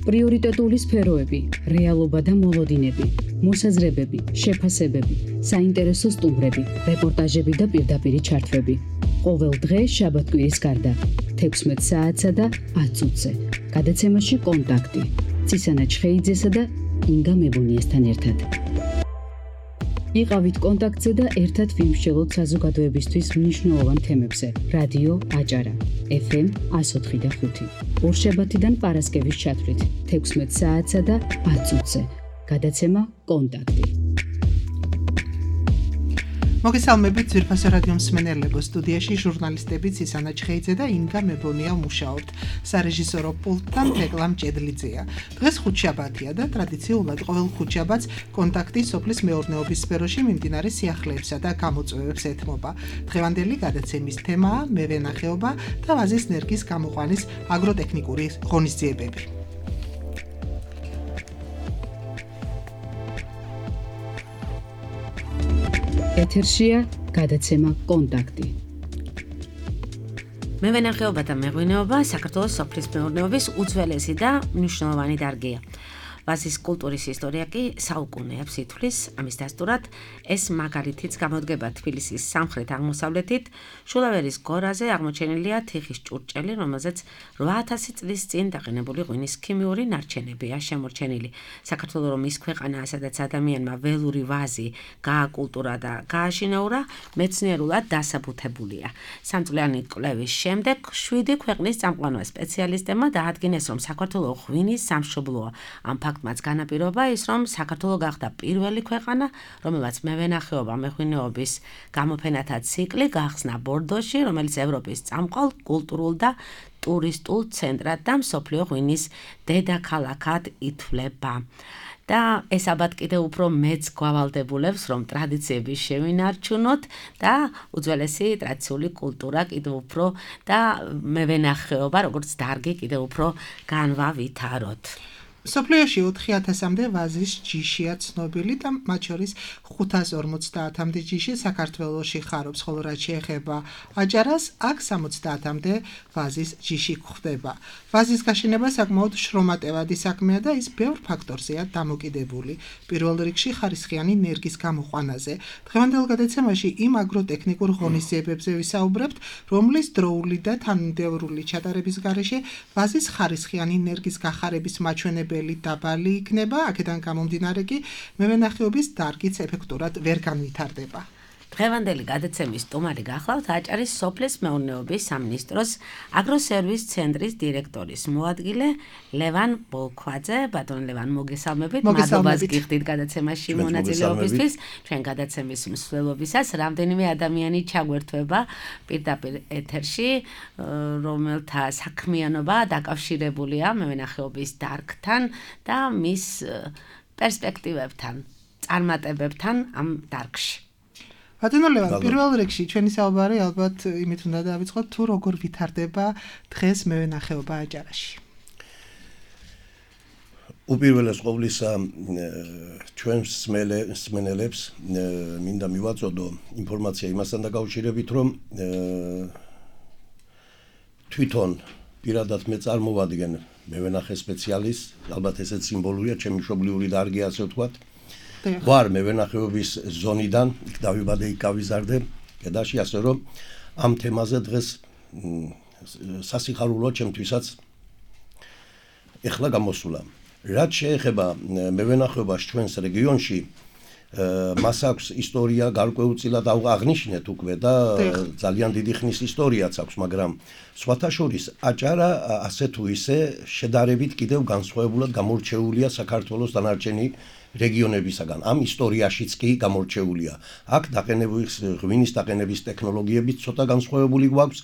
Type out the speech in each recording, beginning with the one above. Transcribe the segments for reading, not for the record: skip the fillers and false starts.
პრიორიტეტული სფეროები, რეალობა და მოლოდინები, მოსაზრებები, შეფასებები, საინტერესო სტუმრები, რეპორტაჟები და პირდაპირი ჩართვები. ყოველ დღე შაბათ-კვირის გარდა 16 საათსა და 10 წუთზე. გადაცემაში კონტაქტი. ცისანა ჩხეიძესა და ინგა მებუნიესთან ერთად. იყავით კონტაქტზე და ერთად ვიმსჯელოთ საზოგადოებისთვის მნიშვნელოვან თემებზე. რადიო აჭარა, FM 104.5. ორშაბათიდან პარასკევის ჩათვლით 16 საათსა და 10 წუთზე. გადაცემა კონტაქტი. მოგესალმებით ძვირფასო რადიო მსმენელებო, სტუდიაში ჟურნალისტები ცისანა ჩხეიძე და ინგა მებონია მუშაობთ. სარეჟისორო პულტთან თეკლამ ჭედლიძეა. დღეს ხუთშაბათია და ტრადიციულად ყოველ ხუთშაბათს კონტაქტი სოფლის მეურნეობის სფეროში მიმდინარე სიახლეებსა და გამოწვევებს ეთმობა. დღევანდელი გადაცემის თემაა მევენახეობა და ვაზის ნერგის გამოყვანის აგროტექნიკური ღონისძიებები. ეთერშია გადაცემა კონტაქტი. მევენახეობა და მეღვინეობა საქართველოს სოფლის მეურნეობის უძველესი და მნიშვნელოვანი დარგია. ვაზის კულტურის ისტორია კი საუკუნეებს ითვლის, ამის დასტურად ეს მაგალითიც გამოდგება თბილისის სამხრეთ-აღმოსავლეთით, შულავერის გორაზე აღმოჩენილია თიხის ჭურჭელი, რომელზეც 8000 წლის წინ დაყენებული ღვინის ქიმიური ნარჩენებია შემორჩენილი. საქართველოს რომ ის ქვეყანაა, სადაც ადამიანმა ველური ვაზი გააკულტურა და გააშინაურა, მეცნიერულად დასაბუთებულია. სამწლიანი კვლევის შემდეგ 7 ქვეყნის წამყვანო სპეციალისტებმა დაადგინეს, რომ საქართველოს ღვინის სამშობლოა. ამ ფაქტმაც განაპირობა ის, რომ საქართველოს გახდა პირველი ქვეყანა, რომელსაც მევენახეობა მეღვინეობის გამოფენათა ციკლი გახსნა ბორდოში, რომელიც ევროპის წამყვალ კულტურულ და ტურისტულ ცენტრად და მსოფლიო ღვინის დედაქალაქად ითვლება. და ეს ალბათ კიდევ უფრო მეც გვავალდებულებს, რომ ტრადიციები შევინარჩუნოთ და უძველესი ტრადიციული კულტურა კიდევ უფრო და მევენახეობა, როგორც დარგი კიდევ უფრო განვავითაროთ. სოფლიოში 4000-მდე ვაზის ჯიშია ცნობილი და მათ შორის 550-მდე ჯიში საქართველოში ხარობს, ხოლო რაც შეეხება აჭარას, აქ 70-მდე ვაზის ჯიში გვხვდება. ვაზის გაშენება საკმაოდ შრომატევადი საქმეა და ის ბევრ ფაქტორზეა დამოკიდებული. პირველ რიგში ხარისხიანი ნერგის გამოყვანაზე. დღევანდელ გადაცემაში იმ აგროტექნიკურ ღონისძიებებზე ვისაუბრებთ, რომლის დროული და თანმიმდევრული ჩატარების გარეშე ვაზის ხარისხიანი ნერგის გახარების მაჩვენებელი დაბალი იქნება, აქედან გამომდინარე კი მევენახეობის დარგიც ეფექტურად ვერ განვითარდება. დღევანდელი გადაცემის სტუმარი გახლავთ აჭარის სოფლის მეურნეობის სამინისტროს აგროსერვის ცენტრის დირექტორის მოადგილე ლევან ბოლქვაძე. ბატონ ლევან, მოგესალმებით. მადლობას გიხდით გადაცემაში მონაწილეობისთვის. ჩვენ გადაცემის მსვლელობისას რამდენიმე ადამიანი ჩაგვერთვება პირდაპირ ეთერში, რომელთა საქმიანობა დაკავშირებულია მევენახეობის დარგთან და მის პერსპექტივებთან, წარმატებებთან ამ დარგში. ბატონო ლევან, პირველ რიგში ჩვენი საუბარი ალბათ იმით უნდა დავიწყოთ, თუ როგორ ვითარდება დღეს მევენახეობა აჭარაში. უპირველეს ყოვლისა ჩვენს მსმენელებს მინდა მივაწოდო ინფორმაცია იმასთან დაკავშირებით, რომ თვითონ პირადად მე წარმოვადგენ მევენახე სპეციალისტს, ალბათ ესეც სიმბოლურია, ჩემი მშობლიური დარგი, ასე ვთქვათ. ვარ მევენახეობის ზონიდან, იქ დავიბადე, იქ გავიზარდე კედაში, ასე რომ ამ თემაზე დღეს სასიხარულოა ჩემთვისაც ეხლა გამოსულა. რაც შეეხება მევენახეობას ჩვენს რეგიონში, მას აქვს ისტორია გარკვეულწილად აღნიშნეთ უკვე და ძალიან დიდი ხნის ისტორიაც აქვს, მაგრამ სხვათა შორის აჭარა ასე თუ ისე შედარებით კიდევ განსხვავებულად გამორჩეულია საქართველოს დანარჩენი რეგიონებისაგან. ამ ისტორიაშიც კი გამორჩეულია. აქ ღვინის დაყენების ტექნოლოგიებიც ცოტა განსხვავებული გვაქვს.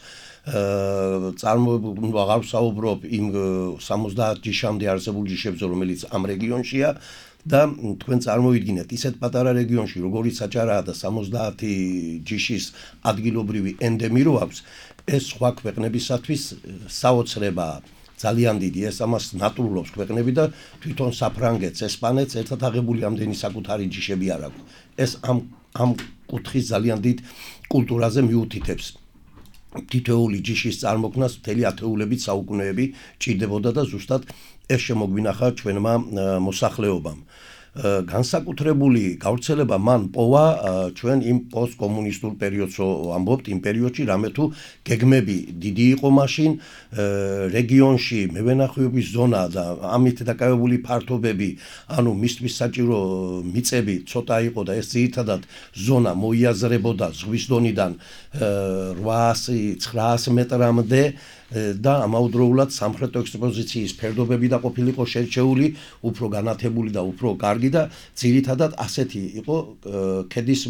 აღარ ვსაუბრობ იმ 70 ჯიშამდე არსებულ ჯიშებზე, რომელიც ამ რეგიონშია და თქვენ წარმოვიდგინეთ ისეთ პატარა რეგიონში, როგორიც აჭარაა და 70 ჯიშის ადგილობრივი ენდემი რო აქვს, ეს სხვა ქვეყნებისათვის საოცრებაა. ძალიან დიდი, ეს ამას ნატრულობს ქვეყნები და თვითონ საფრანგეთს, ესპანეთს ერთად აღებული ამდენი საკუთარი ჯიშები არ აქვს. ეს ამ კუთხის ძალიან დიდ კულტურაზე მიუთითებს. თითოეული ჯიშის წარმოქმნას მთელი ათეულებით საუკუნეები ჭირდებოდა და ზუსტად ეს შემოგვინახა ჩვენმა მოსახლეობამ. განსაკუთრებული გავრცელება მან პოვა ჩვენ იმ პოსტკომუნისტურ პერიოდს ამბობთ, იმ პერიოდში რამე თუ გეგმები დიდი იყო მაშინ, რეგიონში მევენახეობის ზონა და ამით დაკავებული ფართობები, ანუ მისთვის საჭირო მიწები ცოტა იყო და ეს ძირითადად ზონა მოიაზრებოდა ზღვის დონიდან 800-900 მეტრამდე და ამავდროულად სამხრეთ ექსპოზიციის ფერდობები და ყოფილიყო შერჩეული, უფრო განათებული და უფრო კარგი და ძირითადად ასეთი იყო ქედის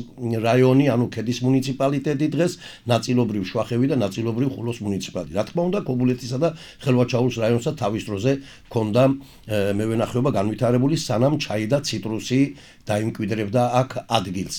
რაიონი, ანუ ქედის მუნიციპალიტეტი დღეს, ნაწილობრივ შვახევი და ნაწილობრივ ხულოს მუნიციპალიტეტი. რა თქმა უნდა, კობულეთისა და ხელვაჩაურის რაიონსა თავის დროზე ჰქონდა მევენახეობა განვითარებული, სანამ ჩაი და ციტრუსი დაიმკვიდრებდა აქ ადგილს.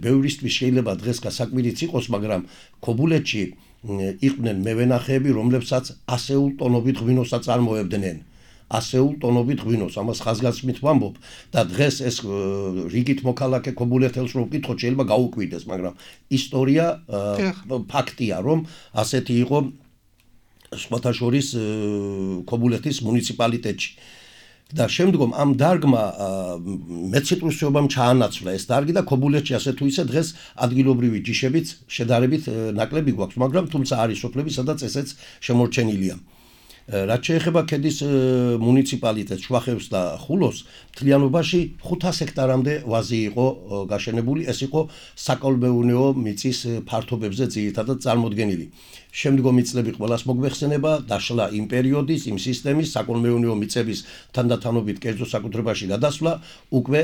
ბევრისთვის შეიძლება დღეს გასაკვირიც იყოს, მაგრამ ქობულეთში იყვნენ მევენახეები, რომლებსაც ასეულ ტონობით ღვინოს აწარმოებდნენ. ასეულ ტონობით ღვინოს, ამას ხაზგასმით ვამბობ და დღეს ეს რიგით მოქალაქე ქობულეთელს რო ვკითხოთ, შეიძლება გაუკვირდეს, მაგრამ ისტორია ფაქტია, რომ ასეთი იყო სხვათა შორის ქობულეთის მუნიციპალიტეტში. და შემდგომ ამ დარგმა მეციტრუსეობამ ჩაანაცვლა ეს დარგი და ქობულეთში ასე თუ ისე დღეს ადგილობრივი ჯიშებიც შედარებით ნაკლები გვაქვს, მაგრამ თუმცა არის სოფლები, სადაც ესეც შემორჩენილია. რაც შეეხება ქედის მუნიციპალიტეტს, შვახევს და ხულოს, მთლიანობაში 500 ჰექტარამდე ვაზი იყო გაშენებული, ეს იყო საკოლმეურნეო მიწის ფართობებზე ძირითადად წარმოდგენილი. შემდგომი წლები ყველას მოგვეხსენება, დაშლა იმ პერიოდის, იმ სისტემის საკოლმეურნეო მიწების თანდათანობით კერძო საკუთრებაში გადასვლა, უკვე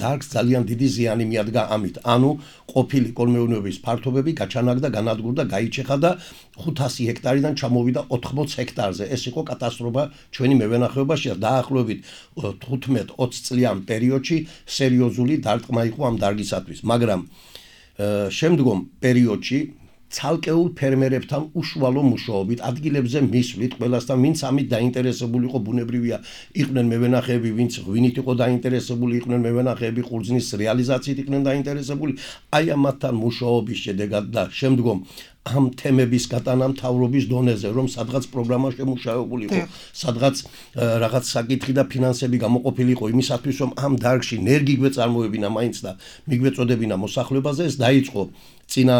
დარგს ძალიან დიდი ზიანი მიადგა ამით. ანუ ყოფილი კოლმეურნეობის ფართობები გაჩანაგდა, განადგურდა, გაიჩეხა და 500 ჰექტარიდან ჩამოვიდა 80 ჰექტარზე. ეს იყო კატასტროფა ჩვენი მევენახეობაში და დაახლოებით 15-20 წლიან პერიოდში სერიოზული დარტყმა იყო ამ დარგისათვის. მაგრამ შემდგომ პერიოდში ცალკეულ ფერმერებთან უშუალო მუშაობით ადგილებზე მისვლით ყველასთან, ვინც ამით დაინტერესებული იყო, ბუნებრივია, იყვნენ მევენახეები, ვინც ღვინით იყო დაინტერესებული, იყვნენ მევენახეები, ყურძნის რეალიზაციით იყვნენ დაინტერესებული, აი ამათთან მუშაობის შედეგად და შემდგომ ამ თემების გატანა მთავრობის დონეზე, რომ სადღაც პროგრამა შემუშავებული იყო, სადღაც რაღაც საკითხი და ფინანსები გამოყოფილი იყო იმისათვის, რომ ამ დარგში ნერგი გვეწარმოებინა მაინც და მიგვეწოდებინა მოსახლეობაზე, ეს დაიწყო წინა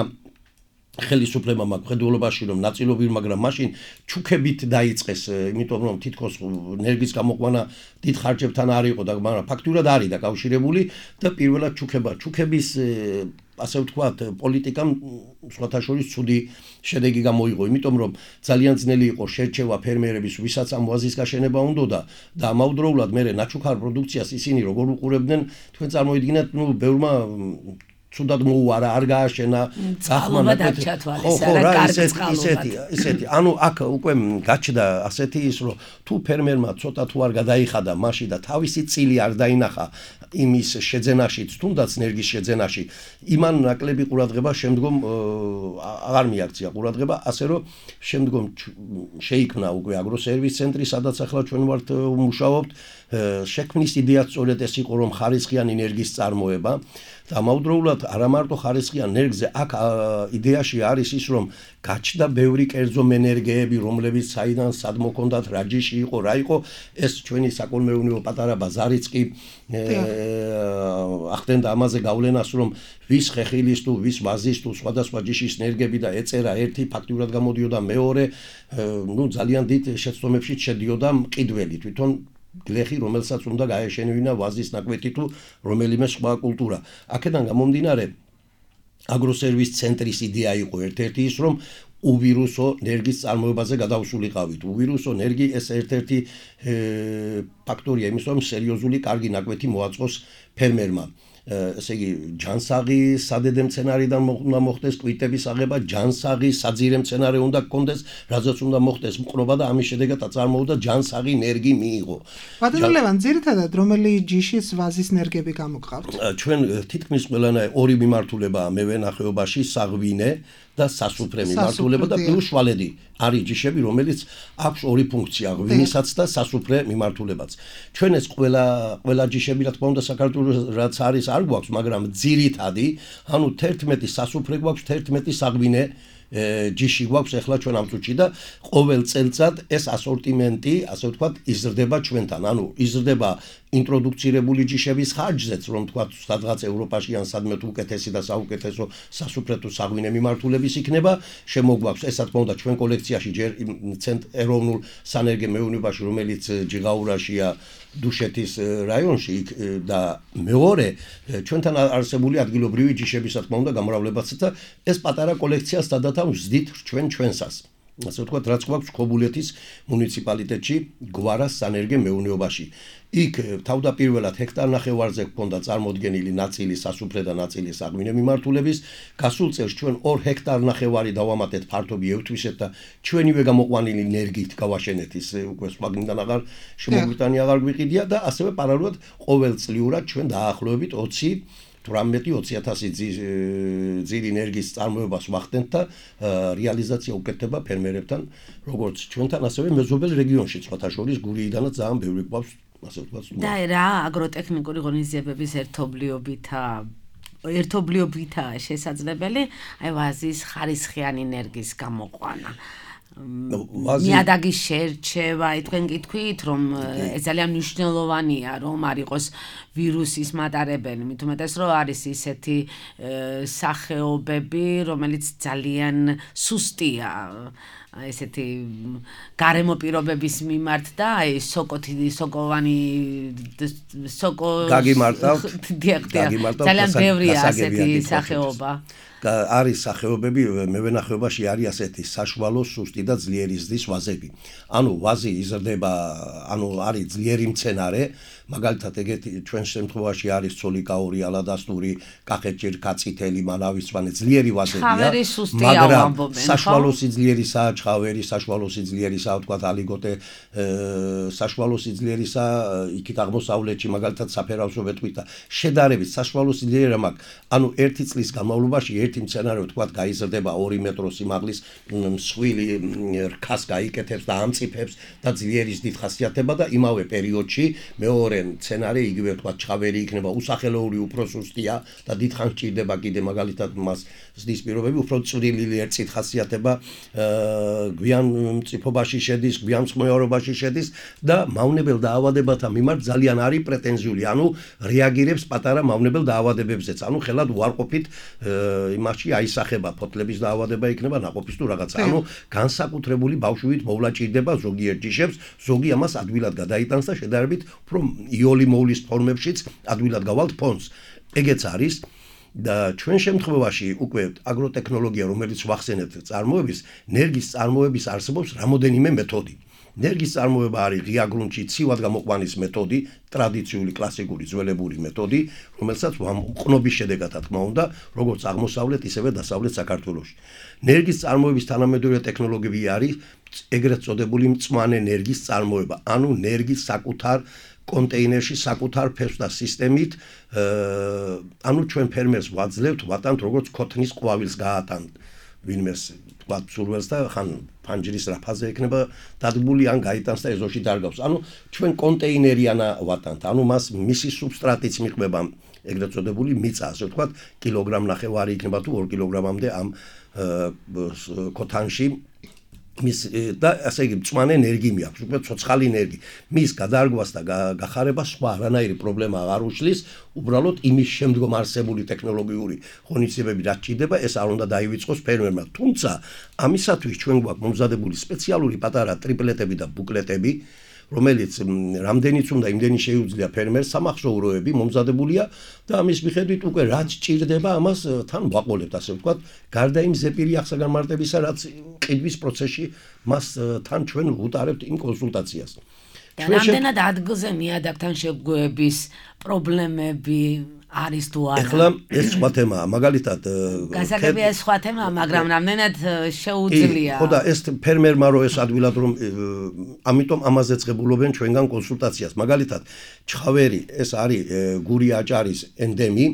ხელისუფლებამ მხედველობაში, რომ ნაწილობრივ, მაგრამ მაშინ ჩუქებით დაიწყეს, იმიტომ რომ თითქოს ნერგის გამოყვანა დიდ ხარჯებთან არ იყო და მაგრამ ფაქტურად არის დაკავშირებული და პირველად ჩუქების ასე ვთქვათ, პოლიტიკამ სხვათა შორის ცუდი შედეგი გამოიღო, იმიტომ რომ ძალიან ძნელი იყო შერჩევა ფერმერების, ვისაც ამ ვაზის გაშენება უნდოდა და ამავდროულად მერე ნაჩუქარ პროდუქციას ისინი როგორ უყურებდნენ, თქვენ წარმოიდგინეთ, ბევრმა ცუდად მოუარა, არ გააშენა, გახმანა ისეთი. ანუ აქ უკვე გაჩნდა ასეთი ის, რომ თუ ფერმერმა ცოტა თუ არ გადაიხადა მაშინ და თავისი წილი არ დაინახა იმის შეძენაში, თუნდაც ნერგის შეძენაში, იმან ნაკლები ყურადღება შემდგომ აღარ მიაქცია ყურადღება, ასე რომ შემდგომ შეიქმნა უკვე აგროსერვის ცენტრი, სადაც ახლა ჩვენ ვართ ვმუშაობთ. შექმნის იდეაც სწორედ ეს იყო, რომ ხარისხიანი ნერგის წარმოება და ამავდროულად არა მარტო ხარისხიან ნერგზე, აქ იდეაში არის ის, რომ გაჩნდა ბევრი კერძო მენერგეები, რომლებიც საიდან სად მოქონდათ, რა ჯიში იყო, რა იყო, ეს ჩვენი საკოლმეურნეო პატარა ბაზარიც კი ახდენდა ამაზე გავლენას, რომ ვის ხეხილის თუ ვის ვაზის თუ სხვადასხვა ჯიშის ნერგები და ეწერა ერთი, ფაქტურად გამოდიოდა მეორე, ძალიან დიდ შეცდომებში შედიოდა მყიდველი, თვითონ გლეხი, რომელსაც უნდა გაეშენებინა ვაზის ნაკვეთი თუ რომელიმე სხვა კულტურა. აქედან გამომდინარე, აგროსერვის ცენტრის იდეა იყო ერთ-ერთი ის, რომ უვირუსო ნერგის წარმოებაზე გადავსულიყავით. უვირუსო ნერგი ეს ერთ-ერთი ფაქტორია იმის, რომ სერიოზული კარგი ნაკვეთი მოაწყოს ფერმერმა. ესე იგი, ჯანსაღი სადედე მცენარიდან უნდა მოხდეს კვიტების აღება, ჯანსაღი საძირე მცენარე უნდა გქონდეს, რაზეც უნდა მოხდეს მყრობა და ამის შედეგად აწარმოებდა ჯანსაღი ნერგი მიიღო. ბატონო ლევან, ძირითადად რომელი ჯიშის ვაზის ნერგები გამოგყავთ? ჩვენ თითქმის ყველანაირ ორი მიმართულებაა მევენახეობაში, საღვინე და სასუფრე მიმართულება და პლუს შვალედი არის ჯიშები, რომელიც აქვს ორი ფუნქცია, ღვინისაც და სასუფრე მიმართულებაც. ჩვენ ეს ყველა ჯიშები, რა თქმა უნდა, საქართველოს რაც არის არ გვაქვს, მაგრამ ძირითადი, ანუ 11 სასუფრე გვაქვს, 11 საღვინე ჯიში გვაქვს ახლა ჩვენ ამ წუთში და ყოველ წელწად ეს ასორტიმენტი, ასე ვთქვათ, იზრდება ჩვენთან. ანუ იზრდება ინტროდუქცირებული ჯიშების ხარჯზეც, რომ თქვათ, სადღაც ევროპაში ან სადმე თუ უკეთესი და საუკეთესო სასუფრეთო საღვინე მიმართულების იქნება, შემოგვაქვს, ესა თქმა უნდა ჩვენ კოლექციაში ჯერ ეროვნულ სანერგე მეურნეობაში, რომელიც ჯიღაურაშია, დუშეთის რაიონში და მეორე ჩვენთან არსებული ადგილობრივი ჯიშების, თქმა უნდა, გამრავლებაც და ეს პატარა კოლექციას სადათან ვზდით ჩვენსას. ასე ვთქვათ, რაც გვაქვს ქობულეთის მუნიციპალიტეტში, გვარას სანერგე მეურნეობაში. იქ თავდაპირველად ჰექტარნახევარზე გქონდა წარმოდგენილი ნაწილი სასუფრე და ნაწილი საღვინე მიმართულების. გასულ წელს ჩვენ 2 ჰექტარნახევარი დავამატეთ ფართობი ევთვისეთ და ჩვენივე გამოყვანილი ენერგიით გავაშენეთ ის უკვე სხვაგინდან აღარ შემოგვიტანი აღარ გვიყიდია და ასევე პარალელურად ყოველწლიურად ჩვენ დაახლოებით 20-30,000 ძილი ენერგიის წარმოებას ვახდენთ და რეალიზაცია უკეთდება ფერმერებთან, როგორც ჩვენთან, ასევე მეზობელ რეგიონში, სხვათა შორის გურიიდანაც ძალიან ბევრი გვაქვს, ასე ვთქვათ. და რა აგროტექნიკური ღონისძიებების ერთობლიობითაა შესაძლებელი, აი ვაზის ხარისხიანი ენერგიის გამოყვანა. ნიადაგის შერჩევა, თქვენ გითქვით, რომ ეს ძალიან მნიშვნელოვანია, რომ არ იყოს ვირუსის მატარებელი, მით უმეტეს რომ არის ისეთი სახეობები, რომელიც ძალიან სუსტია ესეთი გარემო პირობების მიმართ და აი ძალიან ბევრია ასეთი სახეობა. არის სახეობები მევენახეობაში არის ასეთი საშუალო, სუსტი და ძლიერი ზრდის ვაზები. ანუ ვაზი იზრდება, ანუ არის ძლიერი მცენარე, მაგალითად ეგეთი ჩვენ შემთხვევაში არის ცოლიკაური, ალადასტური, კახეთჭირკა, წითელი, მანავისვანე, ძლიერი ვაზებია, მაგრამ საშუალო სიძლიერისაა ჩხავერი, საშუალო სიძლიერისაა, ვთქვათ, ალიგოტე, საშუალო სიძლიერისაა იქით აღმოსავლეთში, მაგალითად საფერავსო ვეთქვით და შედარებით საშუალო სიძლიერია მაქვს. ანუ ერთი წლის განმავლობაში ერთი მცენარე, ვთქვათ, გაიზრდება 2 მეტრო სიმაღლის მსხვილი რქას გაიკეთებს და ამწიფებს და ძლიერის დიდ ხასიათება და იმავე პერიოდში მეორე მცენარე იგივე ვთქვათ ჩხავერი იქნება, უსახელოური უფრო სუსტია და დიდხანს ჭირდება კიდე მაგალითად მას ზრდის პირობები უფრო წვრილი ერთით ხასიათება, გვიან მწიფობაში შედის, გვიან მსხმოევრობაში შედის და მავნებელ დაავადებათა მიმართ ძალიან არის პრეტენზიული, ანუ რეაგირებს პატარა მავნებელ დაავადებებზეც, ანუ ხელად უარყოფით იმაში აისახება ფოთლების დაავადება იქნება ნაყოფის თუ რაღაცა. ანუ განსაკუთრებული ბავშვით მოვლა ჭირდება ზოგიერთ ჯიშებს, ზოგი ამას ადვილად გადაიტანს და შედარებით უფრო იოლი მოვლის ფორმებშიც ადვილად გავალთ ფონს. ეგეც არის და ჩვენ შემთხვევაში უკვე აგროტექნოლოგია, რომელიც ვახსენებთ წარმოების, ენერგიის წარმოების არსებობს რამოდენიმე მეთოდი. ენერგიის წარმოება არის ღია გრუნტში ცივად გამოყვანის მეთოდი, ტრადიციული კლასიკური ძველებური მეთოდი, რომელსაც ყნობის შედეგად თქმა უნდა, როგორც აღმოსავლეთ, ისევე დასავლეთ საქართველოში. ენერგიის წარმოების თანამედროვე ტექნოლოგიები არის ეგრეთ წოდებული მწვანე ენერგიის წარმოება, ანუ ენერგიის საკუთარ კონტეინერში საკუთარ ფესვს და სისტემით, ანუ ჩვენ ფერმერს ვაძლევთ, ვატანთ როგორც ქოთნის ყვავილს გაატანთ ვინმეს ვთქვათ სურველს და ხან ფანჯრის რაფაზე ექნება დადგმული ან გაიტანს და ეზოში დარგავს. ანუ ჩვენ კონტეინერიანა ვატანთ, ანუ მას მისი სუბსტრატიც მიყვება ეგრეთ წოდებული მიწა, ასე ვთქვათ, კილოგრამ-ნახევარი იქნება თუ 2 კილოგრამამდე ამ ქოთანში მის და ასე იგი მწვანე ენერგია აქვს, უკვე ცოცხალი ენერგია. მის გადარგვას და გახარებას სხვა არანაირი პრობლემა არ უშლის, უბრალოდ იმის შემდგომ არსებული ტექნოლოგიური ღონისძიებები რაც ჭირდება, ეს არ უნდა დაივიწყოს ფერმერმა. თუმცა ამისათვის ჩვენ გვაქვს მომზადებული სპეციალური პატარა ტრიპლეტები და ბუკლეტები, რომელიც რამდენიც უნდა იმდენი შეუძლია ფერმერს, სამახსოვროები მომზადებულია და ამის მიხედვით უკვე რაც ჭირდება, ამას თან ვაყოლებთ, ასე ვთქვათ, გარდა იმ ზეპირი აღსაგანმარტებისა, რაც ყიდვის პროცესში მას თან ჩვენ ვუტარებთ იმ კონსულტაციას. და რამდენად ადგილზე ნიადაგთან შეგუების პრობლემები არის თუ არა? ეხლა ეს სხვა თემაა, მაგალითად გასაგებია ეს სხვა თემაა, მაგრამ რამდენად შეუძლია? ხო და ეს ფერმერმა რო ეს ადვილად რომ ამიტომ ამაზე წებულობენ ჩვენგან კონსულტაციას. მაგალითად, ჩხავერი ეს არის გური აჭარის ენდემი,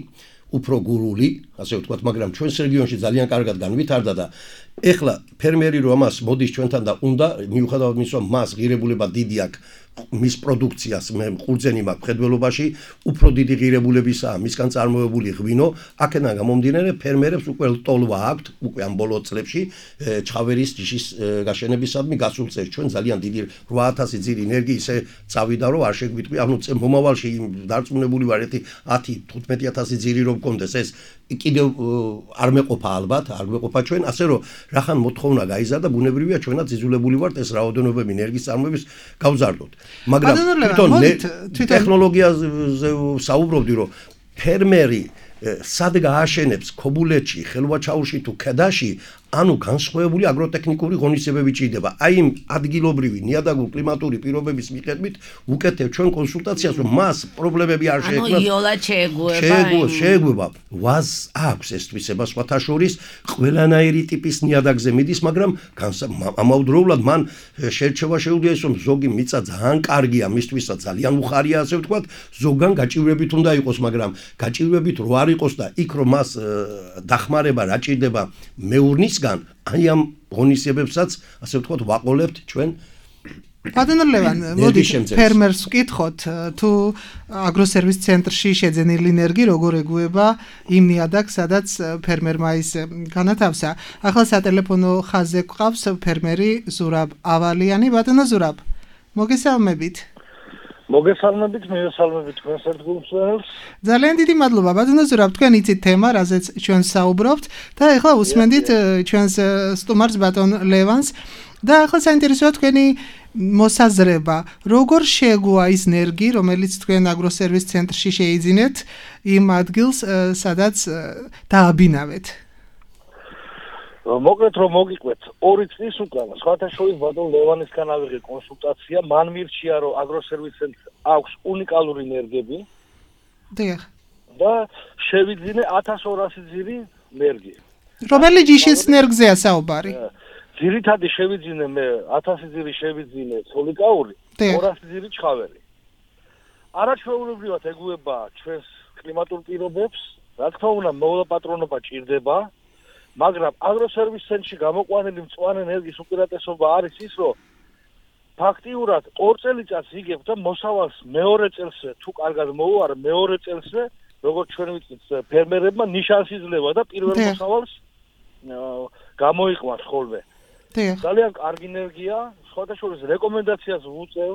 უფრო გურული, ასე ვთქვათ, მაგრამ ჩვენს რეგიონში ძალიან კარგად განვითარდა და ეხლა ფერმერი რო ამას მოდის ჩვენთან და უნდა მიუხედავად იმისა, რომ მას ღირებულება დიდი აქვს მის პროდუქციას მე ყურძენი მაქვს მხედველობაში უფრო დიდი ღირებულებისაა მისგან წარმოებული ღვინო აქედან გამომდინარე ფერმერებს უკვე ლტოლვა აქვთ უკვე ამ ბოლო წლებში ჩხავერის ჯიშის გაშენებისადმი გასულ წელს ჩვენ ძალიან დიდი 8000 ძირი ენერგიისე წავიდა რომ არ შეგვიტყვი ანუ მომავალში დარწმუნებული ვარ ერთი 10-15000 ძირი რომ გქონდეს ეს კიდევ არ მეყოფა ალბათ არ მეყოფა ჩვენ ასე რომ რახან მოთხოვნა გაიზარდა ბუნებრივია ჩვენაც იძულებული ვართ ეს რაოდენობები ენერგიის წარმოების გავზარდოთ მაგრამ თვითონ ტექნოლოგიაზე საუბრობდი რომ ფერმერი სად გააშენებს ქობულეთში ხელვაჩაურში თუ ქედაში ანუ განსხვავებული აგროტექნიკური ღონისძიებები ჭირდება აი იმ ადგილობრივი ნიადაგურ კლიმატური პირობების მიხედვით უკეთებ ჩვენ კონსულტაციას რომ მას პრობლემები არ შეექმნას ანუ იოლად შეეგუება ვაზ აქვს ეს თვისება სხვათა შორის ყველანაირი ტიპის ნიადაგზე მიდის მაგრამ ამავდროულად მან შერჩევა შეუძლია ის რომ ზოგი მიწა ძალიან კარგია მისთვისაც ძალიან უხარია ასე ვთქვათ ზოგან გაჭირვებით უნდა იყოს მაგრამ გაჭირვებით რო არ იყოს და იქ რომ მას დახმარება რა ჭირდება მეურნის აი ამ ღონისძიებებსაც ასე ვთქვათ ვაყოლებთ ჩვენ ბატონო ლევან მოდი ფერმერს ვკითხოთ თუ აგროსერვის ცენტრში შეძენილი ენერგია როგორ ეგუება იმ ნიადაგს სადაც ფერმერმა ის განათავსა ახლა სატელეფონო ხაზზე გვყავს ფერმერი ზურაბ ავალიანი ბატონო ზურაბ მოგესალმებით მოგესალმებით, მივესალმებით თქვენს ერთგულწვრთნელს. ძალიან დიდი მადლობა, ბატონო ზურაბ, თქვენ იცით თემა, რაზეც ჩვენ საუბრობთ და ეხლა უსმენდით ჩვენს სტუმარს ბატონ ლევანს და ახლა საინტერესოა თქვენი მოსაზრება, როგორ შეეგუა ის ენერგია, რომელიც თქვენ აგროსერვის ცენტრში შეიძინეთ იმ ადგილს, სადაც დააბინავეთ. მოკლედ რომ მოგიყვეთ 2 წლის უკან სხვათა შორის ბატონ ლევანისგან ავიღე კონსულტაცია მან მირჩია რომ აგროსერვის ცენტრს აქვს უნიკალური ენერგიები და შევიძინე 1200 ძირი ენერგია რომელი ჯიშის ენერგიაა საუბარი ძირითადი შევიძინე მე 1000 ძირი შევიძინე სოლიკაური 200 ძირი ჩხავერი არაჩვეულებრივად ეგუება ჩვენს კლიმატურ პირობებს რა თქმა უნდა მოვლა-პატრონობა ჭირდება მაგრამ აგროსერვის ცენტრში გამოყვანილი მწვანე ენერგიის უპირატესობა არის ის, რომ ფაქტიურად 2 წელიწადს იგებ და მოსავალს მეორე წელსზე თუ კარგად მოუარა მეორე წელსზე, როგორც ჩვენ ვიცით, ფერმერებმა ნიშანს იძლევა და პირველ მოსავალს გამოიყვანს ხოლმე. ძალიან კარგი ენერგია, სხვათა შორის რეკომენდაციას ვუწევ.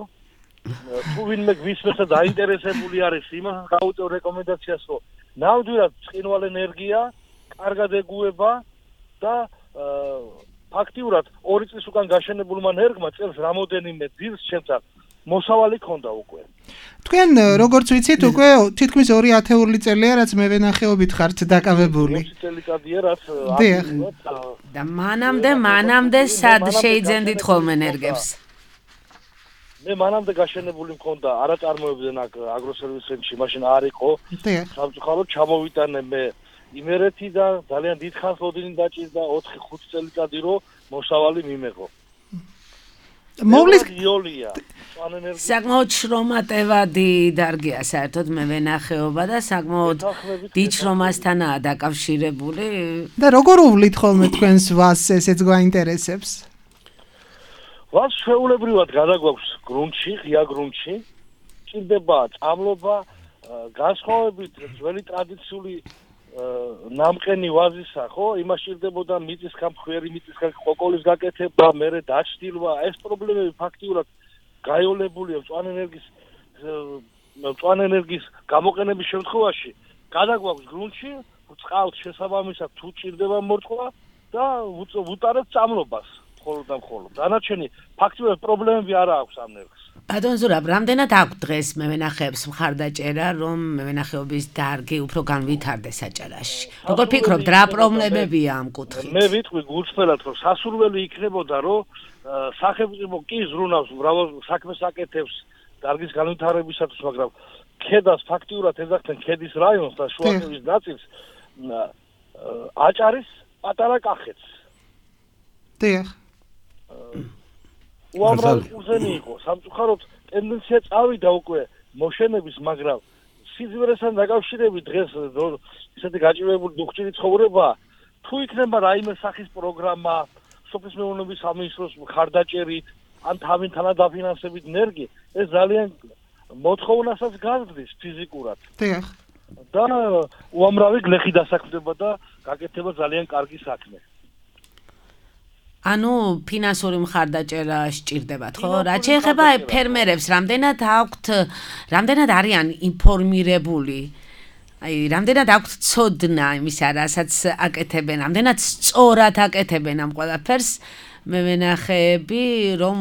თუ ვინმე გვისმენს და დაინტერესებული არის, იმას გავუწევ რეკომენდაციას, რომ ნამდვილად წყინვალე ენერგია, კარგად ეგუება და ფაქტიურად 2 წლის უკან გაშენებულმა ენერგმა წელს რამოდენიმე ძილს შემცა მოსავალი ქონდა უკვე. თქვენ როგორც ვიცით უკვე თითქმის 2 ათეული წელია რაც მე ვენახეობით ხართ დაკავებული. 20 წელიწადია რაც და მანამდე სად შეიძენდით ხოლმე ენერგებს? მე მანამდე გაშენებული მქონდა არაწარმოებდნენ აგროსერვის ცენტრში, მაშინ არ იყო. სამწუხაროდ ჩამოვიტანე მე იმერეთიდან ძალიან დიდხანს ლოდინი დაჭირდა 4-5 წელიწადი რომ მოსავალი მიმეღო. მოვლის იოლია. საკმაოდ შრომატევადი დარგია საერთოდ მე ვენახეობა და საკმაოდ დიდ შრომასთანაა დაკავშირებული. და როგორ უვლით ხოლმე თქვენს ვაზს ესეც გვაინტერესებს? ვაზ შეულებრივად გადაგვაქვს გრუნტში, ღია გრუნტში. ჭირდება წამლობა, განსხვავებით ძველი ტრადიციული ნამყენი ვაზისა, ხო? იმას ჭირდებოდა მიწისგან მხვერი, მიწისგან ყოყოლის გაკეთება, მერე დაჭდილვა. ეს პრობლემები ფაქტიურად გაიოლებულია მწვანე ენერგიის გამოყენების შემთხვევაში. გადაგვაქვს გრუნტში, წყალს შესაბამისად თუ ჭირდება მორწყვა და ვუტარებთ წამლობას. მხოლოდ და მხოლოდ. დანარჩენი ფაქტიურად პრობლემები არ აქვს ამ ენერგს. ბატონ ზურაბ, რამდენად აქვს დღეს მევენახეებს მხარდაჭერა, რომ მევენახეობის დარგი უფრო განვითარდეს საჭარაში? როგორ ფიქრობთ, რა პრობლემებია ამ კუთხით? მე ვიტყვი გულწრფელად, რომ სასურველი იქნებოდა, რომ სახელმწიფო კი ზრუნავს მრავალ საქმეს აკეთებს დარგის განვითარებისათვის, მაგრამ ქედას ფაქტიურად ეძახდნენ ქედის რაიონს და შუახევის ნაწილს აჭარის პატარა კახეთს. დიახ. უამრავი კურსენი იყო. სამწუხაროდ ტენდენცია წავიდა უკვე მოშენების, მაგრამ სიზმრესთან დაკავშირებით დღეს ისეთი გაჭირვებული დუხჭირი ცხოვრება, თუ იქნება რაიმე სახის პროგრამა, სოფლის მეურნეობის სამინისტროს მხარდაჭერით, ან თავინთანა დაფინანსებით ნერგი, ეს ძალიან მოთხოვნასაც გაზრდის ფიზიკურად. დიახ. და უამრავი გლეხი დასაქმდება და გაკეთება ძალიან კარგი საქმე. ანუ ფინანსური მხარდაჭერა სჭირდებათ, ხო? რაც შეეხება ფერმერებს, რამდენად არიან ინფორმირებული? აი, რამდენად აქვთ ცოდნა იმისა, რასაც აკეთებენ, რამდენად სწორად აკეთებენ ამ ყველაფერს მევენახეები, რომ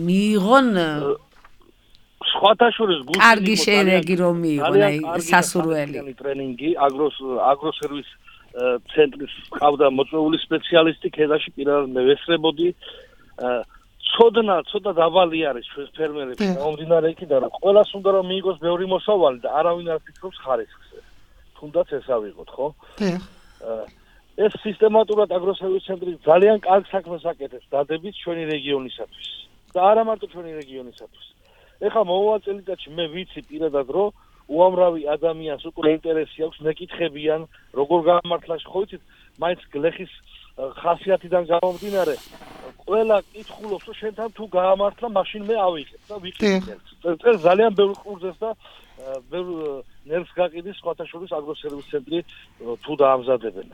მიიღონ სხვათა შორის გულში კარგი შედეგი რომ მიიღონ, აი, სასურველი ტრენინგი, აგროსერვის ცენტრის ყავდა მოწვეული სპეციალისტი, ქედაში პირადად მე ვესწრებოდი. ცოდნა დაბალი არის ჩვენს ფერმერებში, მომდინარე იქიდან, რომ ყველას უნდა რომ მიიღოს ბევრი მოსავალი და არავინ არ ფიქრობს ხარისხზე. თუნდაც ეს ავიღოთ, ხო? ეს სისტემატურად აგროსერვის ცენტრი ძალიან კარგ საქმეს აკეთებს დადებით ჩვენი რეგიონისათვის და არა მარტო ჩვენი რეგიონისათვის. ეხლა მომავალ წელიწადში მე ვიცი პირადად, რომ უამრავი ადამიანს უკვე ინტერესი აქვს, მეკითხებიან, როგორ გამართლა, ხო იცით, მაინც გლეხის ხასიათიდან გამომდინარე, ყველა კითხულობს, რომ შენთან თუ გაამართლა, მაშინ მე ავიღებ და ვიყიდე. ეს ძალიან ბევრ ყურზეს და ბევრ ნერვს გაყიდის სხვათა შორის აგროსერვის ცენტრი თუ დაამზადებენ.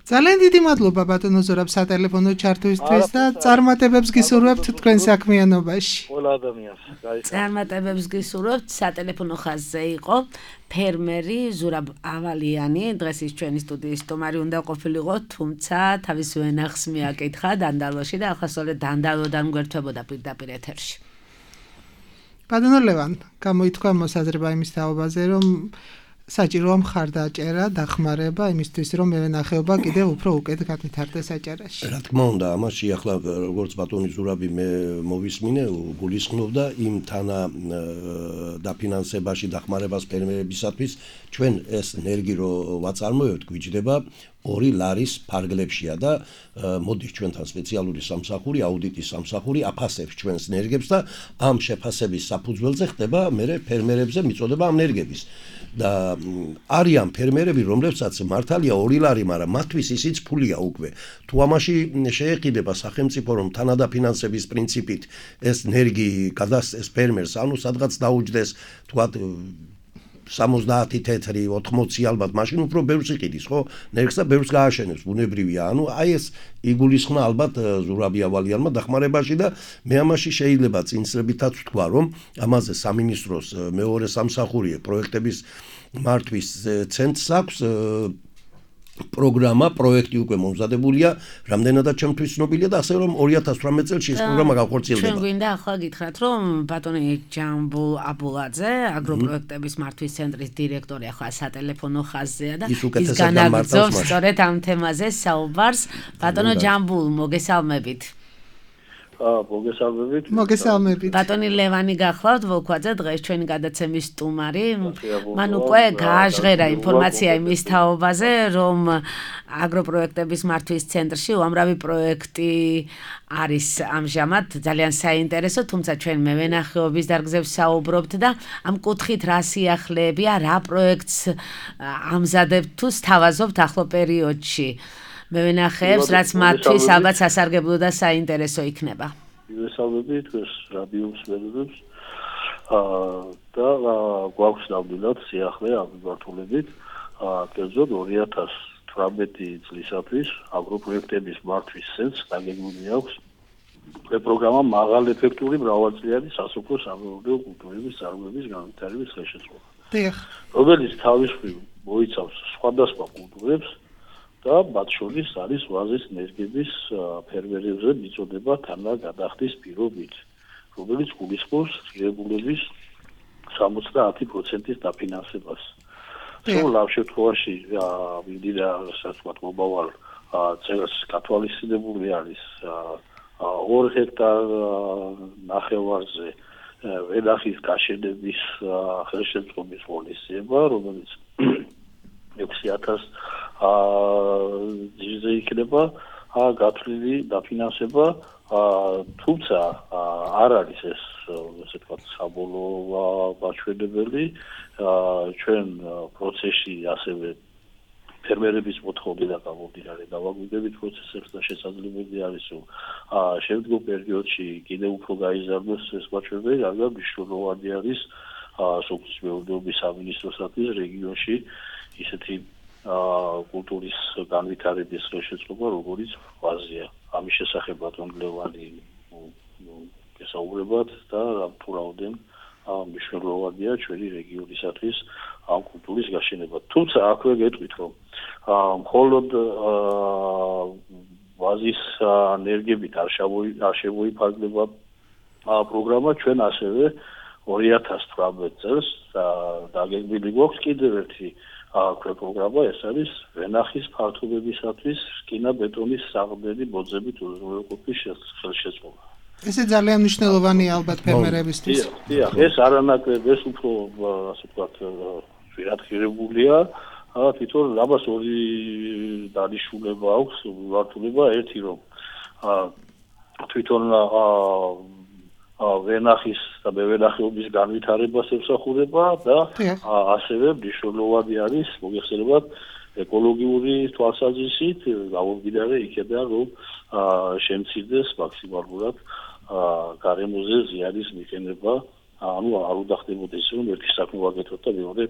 ძალიან დიდი მადლობა ბატონო ზურაბ სატელეფონო ჩართვისთვის და წარმატებებს გისურვებთ თქვენ საქმიანობაში. ყველა ადამიანს. წარმატებებს გისურვებთ. სატელეფონო ხაზზე იყო ფერმერი ზურაბ ავალიანი, დღეს ის ჩვენი სტუდიის სტუმარი უნდა ყოფილიყო, თუმცა თავის ვენახს მიაკითხა დანდალოში და ახასწორედ დანდალოდან გვერდებოდა პირდაპირ ეთერში. ბატონო ლევან, გამოითქვა მოსაზრება იმის თაობაზე, რომ საჭიროა მხარდაჭერა, დახმარება იმისთვის, რომ მევენახეობა კიდევ უფრო უკეთ განვითარდეს აჭარაში. რა თქმა უნდა, ამაში ახლა როგორც ბატონი ზურაბი მე მოვისმინე, გულისხმობდა იმ თანა დაფინანსებაში დახმარებას ფერმერებისათვის, ჩვენ ეს ნერგი რო ვაწარმოებთ, გვიჯდება 2 ლარის ფარგლებშია და მოდის ჩვენთან სპეციალური სამსახური, აუდიტის სამსახური აფასებს ჩვენს ნერგებს და ამ შეფასების საფუძველზე ხდება მერე ფერმერებზე მიწოდება ამ ნერგების. და არიან ფერმერები, რომლებსაც მართალია 2 ლარი, მაგრამ მათთვის ისიც ფულია უკვე. თუ ამაში შეეყიდება სახელმწიფო, რომ თანადაფინანსების პრინციპით ეს ნერგი გადასცეს ფერმერს, ანუ სადღაც დაუჯდეს, თქვათ 70 თეთრი, 80 ალბათ, მაშინ უფრო ბევრს იყიდის, ხო? ნერგს და ბევრს გააშენებს, ბუნებრივია. ანუ აი ეს იგულისხმნა ალბათ ზურაბ ავალიანმა დახმარებაში და მე ამაში შეიძლება წინსრებითაც ვთქვა, რომ ამაზე სამინისტროს მეორე სამსახური პროექტების მართვის ცენტრს აქვს პროგრამა, პროექტი უკვე მომზადებულია, რამდენადაც ჩემთვის ცნობილია და ასე რომ 2018 წელს ეს პროგრამა განხორციელდება. ჩვენ გვინდა ახლა გითხრათ, რომ ბატონი ჯამბულ აბულაძე, აგროპროექტების მართვის ცენტრის დირექტორი ახლა სატელეფონო ხაზზეა და ის განაგრძობს სწორედ ამ თემაზე საუბარს. ბატონო ჯამბულ, მოგესალმებით. მოგესალმებით. ბატონი ლევანი გახლავთ, ვოლქვაძე, დღეს ჩვენი გადაცემის სტუმარი. მან უკვე გააჟღერა ინფორმაცია იმის თაობაზე, რომ აგროპროექტების მართვის ცენტრში უამრავი პროექტი არის ამჟამად ძალიან საინტერესო, თუმცა ჩვენ მევენახეობის დარგზებს საუბრობთ და ამ კუთხით რა სიახლეებია, რა პროექტს ამზადებთ თუ სთავაზობთ ახლო პერიოდში. მევენახეებს, რაც მათთვის ალბათ სასარგებლო და საინტერესო იქნება. მივესალმებით ეს რადიოს მეგობრებს. და გვაქვს ნამდვილად სიახლე ამ მიმართულებით. კერძოდ 2018 წლისათვის აგროპროექტების მართვის ცენტრს დაგეგმილი აქვს პროგრამა მაღალ ეფექტური მრავალწლიანი სასოფლო სამეურნეო კულტურების წარმოების განვითარების ხელშეწყობა. რომელიც თავის მხრივ მოიცავს სხვადასხვა კულტურებს და მათ შორის არის ვაზის ნერგების ფერმერებზე მიწოდება თანაგადახდის პირობით, რომელიც გულისხმობს ღირებულების 70% დაფინანსებას. სულ შემთხვევაში მინდა რასაც ვთქვათ, მომავალ წელს გათვალისწინებული არის 2 ჰექტარ ნახევარზე ვენახის გაშენების ხელშეწყობის ღონისძიება, რომელიც 6000 ჯერზე იქნება გათვლილი დაფინანსება, თუმცა არ არის ეს ესე ვთქვათ საბოლოო მაჩვენებელი. ჩვენ პროცესში ასევე ფერმერების მოთხოვნა და გამომდინარე დავაგვირგვებით პროცესებს და შესაძლებელი არის რომ შემდგომ პერიოდში კიდევ უფრო გაიზარდოს ეს მაჩვენებელი, რადგან მნიშვნელოვანი არის სოფლის მეურნეობის სამინისტროსათვის რეგიონში ისეთი კულტურის განვითარების ხელშეწყობა, როგორც ვაზია. ამის შესახებ ბატონ ლევანი გესაუბრებათ და თუ რაოდენ მნიშვნელოვანია ჩვენი რეგიონისათვის ამ კულტურის გაშენება. თუმცა აქვე გეტყვით რომ მხოლოდ ვაზის ენერგიებით არ შემოიფარგლება პროგრამა, ჩვენ ასევე 2018 წელს დაგეგმილი გვაქვს კიდევ ერთი პროგრამა, ეს არის ვენახის ფართობებისათვის რკინა-ბეტონის საღმრელი ბოძებით უზრუნველყოფის ხელშეწყობა. ესე ძალიან მნიშვნელოვანია ალბათ ფერმერებისთვის. დიახ, ეს არანაკლებ, ეს უფრო ასე ვთქვათ, ვირადღირებულია. თვითონ ამას ორი დანიშნულება აქვს, მიმართულება, ერთი რომ თვითონ ვენახის და მევენახეობის განვითარებას ემსახურება და ასევე მნიშვნელოვანი არის მოგეხსენებათ ეკოლოგიური თვალსაზრისით გამომდინარე იქედან რომ შემცირდეს მაქსიმალურად გარემოზე ზიანის მიყენება, ანუ არ უნდა ხდებოდეს რომ ერთი საქმე ვაკეთოთ და მეორე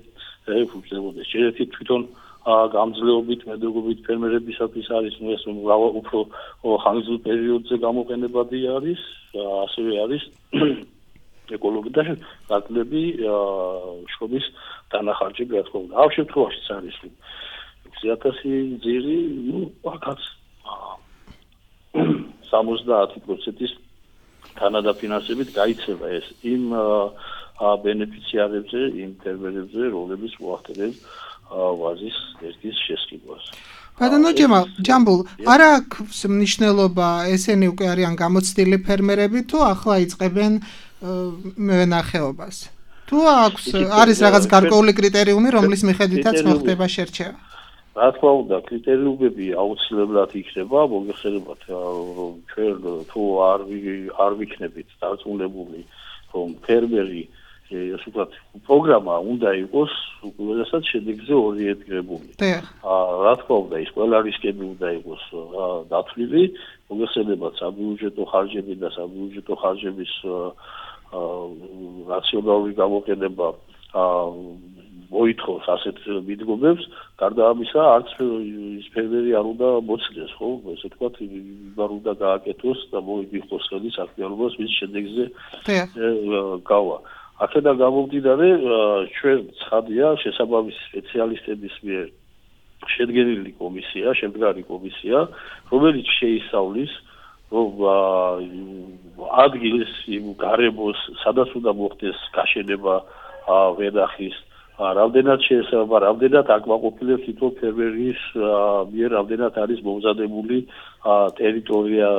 ფუნქციონირდეს. შეიძლება თვითონ გამძლეობით მედეგობით ფერმერებისათვის არის ეს უფრო ხანგრძლივ პერიოდზე გამოყენებადი არის, ასევე არის ეკოლოგიური და გაძლები შრომის დანახარჯები, რა თქმა უნდა. ამ შემთხვევაშიც არის 6000 ძირი, აქაც 70%-ის თანადაფინანსებით გაიცემა ეს იმ ბენეფიციარებზე, იმ ფერმერებზე, რომლებიც მოახდინეს ვაზის ერთის შესყიდვას. ბატონო ჯამბულ, არ აქვს მნიშვნელობა ესენი უკვე არიან გამოცდილი ფერმერები თუ ახლა იწყებენ მევენახეობას? თუ არის რაღაც გარკვეული კრიტერიუმი, რომლის მიხედვითაც მოხდება შერჩევა? რა თქმა უნდა, კრიტერიუმები აუცილებლად იქნება, მოგეხსენებათ რომ ჩვენ თუ არ ვიქნებით დარწმუნებული, რომ ფერმერი ასე ვთქვათ, პროგრამა უნდა იყოს უყურესად შედეგზე ორიენტირებული. რა თქმა უნდა, ის ყველა რისკები უნდა იყოს დათვლილი, მოგეხსენებათ საბიუჯეტო ხარჯები და საბიუჯეტო ხარჯების რაციონალური გამოყენება მოითხოვს ასეთ მიდგომებს, გარდა ამისა, არც ის ფერმერი არ უნდა მოცდეს, ხო? ესე ვთქვათ, არ უნდა გააკეთოს და მოიგოს ხელი საქმიანობას, ვის შედეგზე გავა. აქედან გამომდინარე, ჩვენ ცხადია შესაბამისი სპეციალისტების მიერ შედგენილი კომისია, შემდგარი კომისია, რომელიც შეისწავლის, რომ ადგილს იმ გარემოს, სადაც უნდა მოხდეს გაშენება ვენახის, რამდენად შეესაბამება, რამდენად აკმაყოფილებს თვითონ ფერმერის მიერ, რამდენად არის მომზადებული ტერიტორია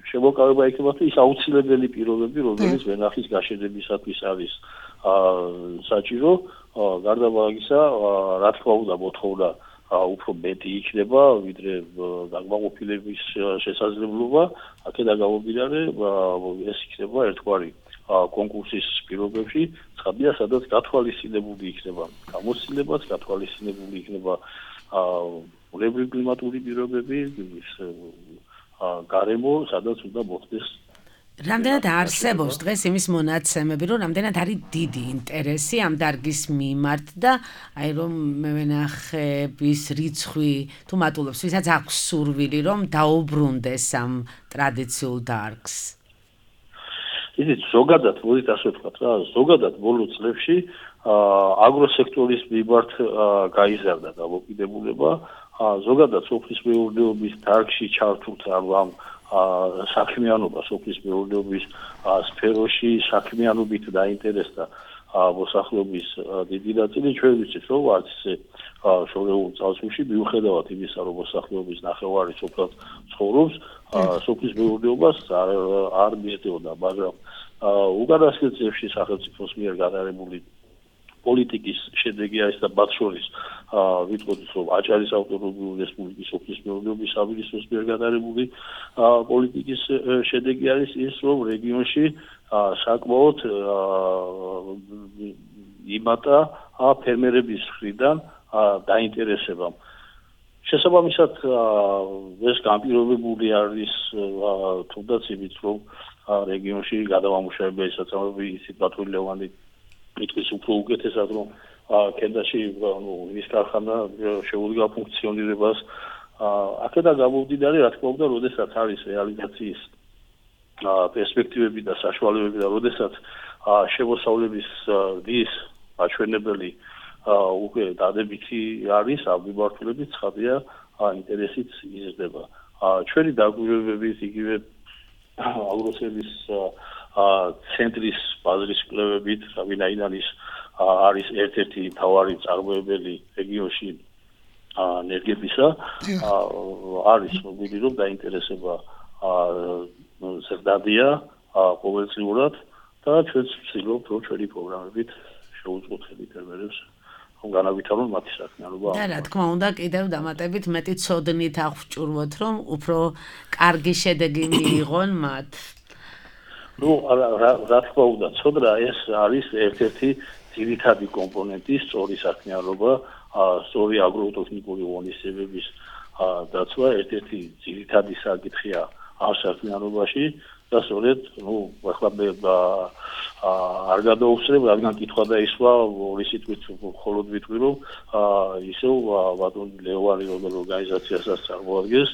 შემოკავება იქნება თუ ის აუცილებელი პირობები, რომელიც ვენახის გაშენებისათვის არის საჭირო, გარდა მაგისა, რა თქმა უნდა, მოთხოვნა უფრო მეტი იქნება, ვიდრე დაკმაყოფილების შესაძლებლობა, აქედან გამომდინარე, ეს იქნება ერთგვარი კონკურსის პირობებში, ცხადია, სადაც გათვალისწინებული იქნება გამოცდილებაც, გათვალისწინებული იქნება ბუნებრივი კლიმატური პირობები, გარემო, სადაც უნდა მოხდეს. რამდენად არსებობს დღეს იმის მონაცემები, რომ რამდენად არის დიდი ინტერესი ამ დარგის მიმართ და აი რომ მევენახების რიცხვი თუ მატულობს, ვისაც აქვს სურვილი, რომ დაუბრუნდეს ამ ტრადიციულ დარგს. ისიც ზოგადად, მოდით ასე ვთქვათ რა, ზოგადად ბოლო წლებში აგროსექტორის მიმართ გაიზარდა დამოკიდებულება, ზოგადად სოფლის მეურნეობის დარგში ჩართულთა ამ საქმიანობა სოფლის მეურნეობის სფეროში საქმიანობით დაინტერესდა მოსახლეობის დიდი ნაწილი. ჩვენ ვიცით, რომ არც შორეულ წარსულში მიუხედავად იმისა, რომ მოსახლეობის ნახევარი სოფლად ცხოვრობს, სოფლის მეურნეობას არ მისდევდა, მაგრამ უკანასკნელ წლებში სახელმწიფოს მიერ გადაღებული პოლიტიკის შედეგია ეს და მათ შორის ვიტყოდით, რომ აჭარის ავტონომიური რესპუბლიკის სოფლის მეურნეობის სამინისტროს მიერ გადაღებული პოლიტიკის შედეგი არის ის, რომ რეგიონში საკმაოდ იმატა ფერმერების მხრიდან დაინტერესებამ. შესაბამისად ეს განპირობებული არის თუნდაც იმით, რომ რეგიონში გადავამუშავება საწარმოები ისეთ პატრულირებანი მიტყვის უფრო უკეთესად, რომ კენდაში ის ქარხანა შეუდგა ფუნქციონირებას. აქედან გამომდინარე, რა თქმა უნდა, როდესაც არის რეალიზაციის პერსპექტივები და საშუალებები და როდესაც შემოსავლების დის აჩვენებელი უკვე დადებითი არის, ამ მიმართულებით ცხადია ინტერესიც იზრდება. ჩვენი დაკვირვებებით იგივე აგროსერვის ცენტრის ბაზრის კვლევებით, ვინაიდან ის არის ერთ-ერთი მთავარი წარმოებელი რეგიონში ენერგიებისა, არის მოგილი, რომ დაინტერესება ზრდადია ყოველწლიურად და ჩვენც ვცდილობთ, რომ ჩვენი პროგრამებით შეუწყოთ ფერმერებს განავითარონ მათი საქმიანობა. და რა თქმა უნდა, კიდევ დამატებით მეტი ცოდნით აღჭურვოთ, რომ უფრო კარგი შედეგი მიიღონ მათ. რა თქმა უნდა, ცოდნა ეს არის ერთ-ერთი ძირითადი კომპონენტი სწორი საქმიანობა, სწორი აგროტექნიკური ღონისძიებების დაცვა ერთ-ერთი ძირითადი საკითხია ამ საქმიანობაში და სწორედ, ახლა მე არ გადაუხსნებ, რადგან კითხვა დაისვა ორი სიტყვით მხოლოდ ვიტყვი, რომ ისევ ბატონ ლევანი როგორ ორგანიზაციასაც წარმოადგენს,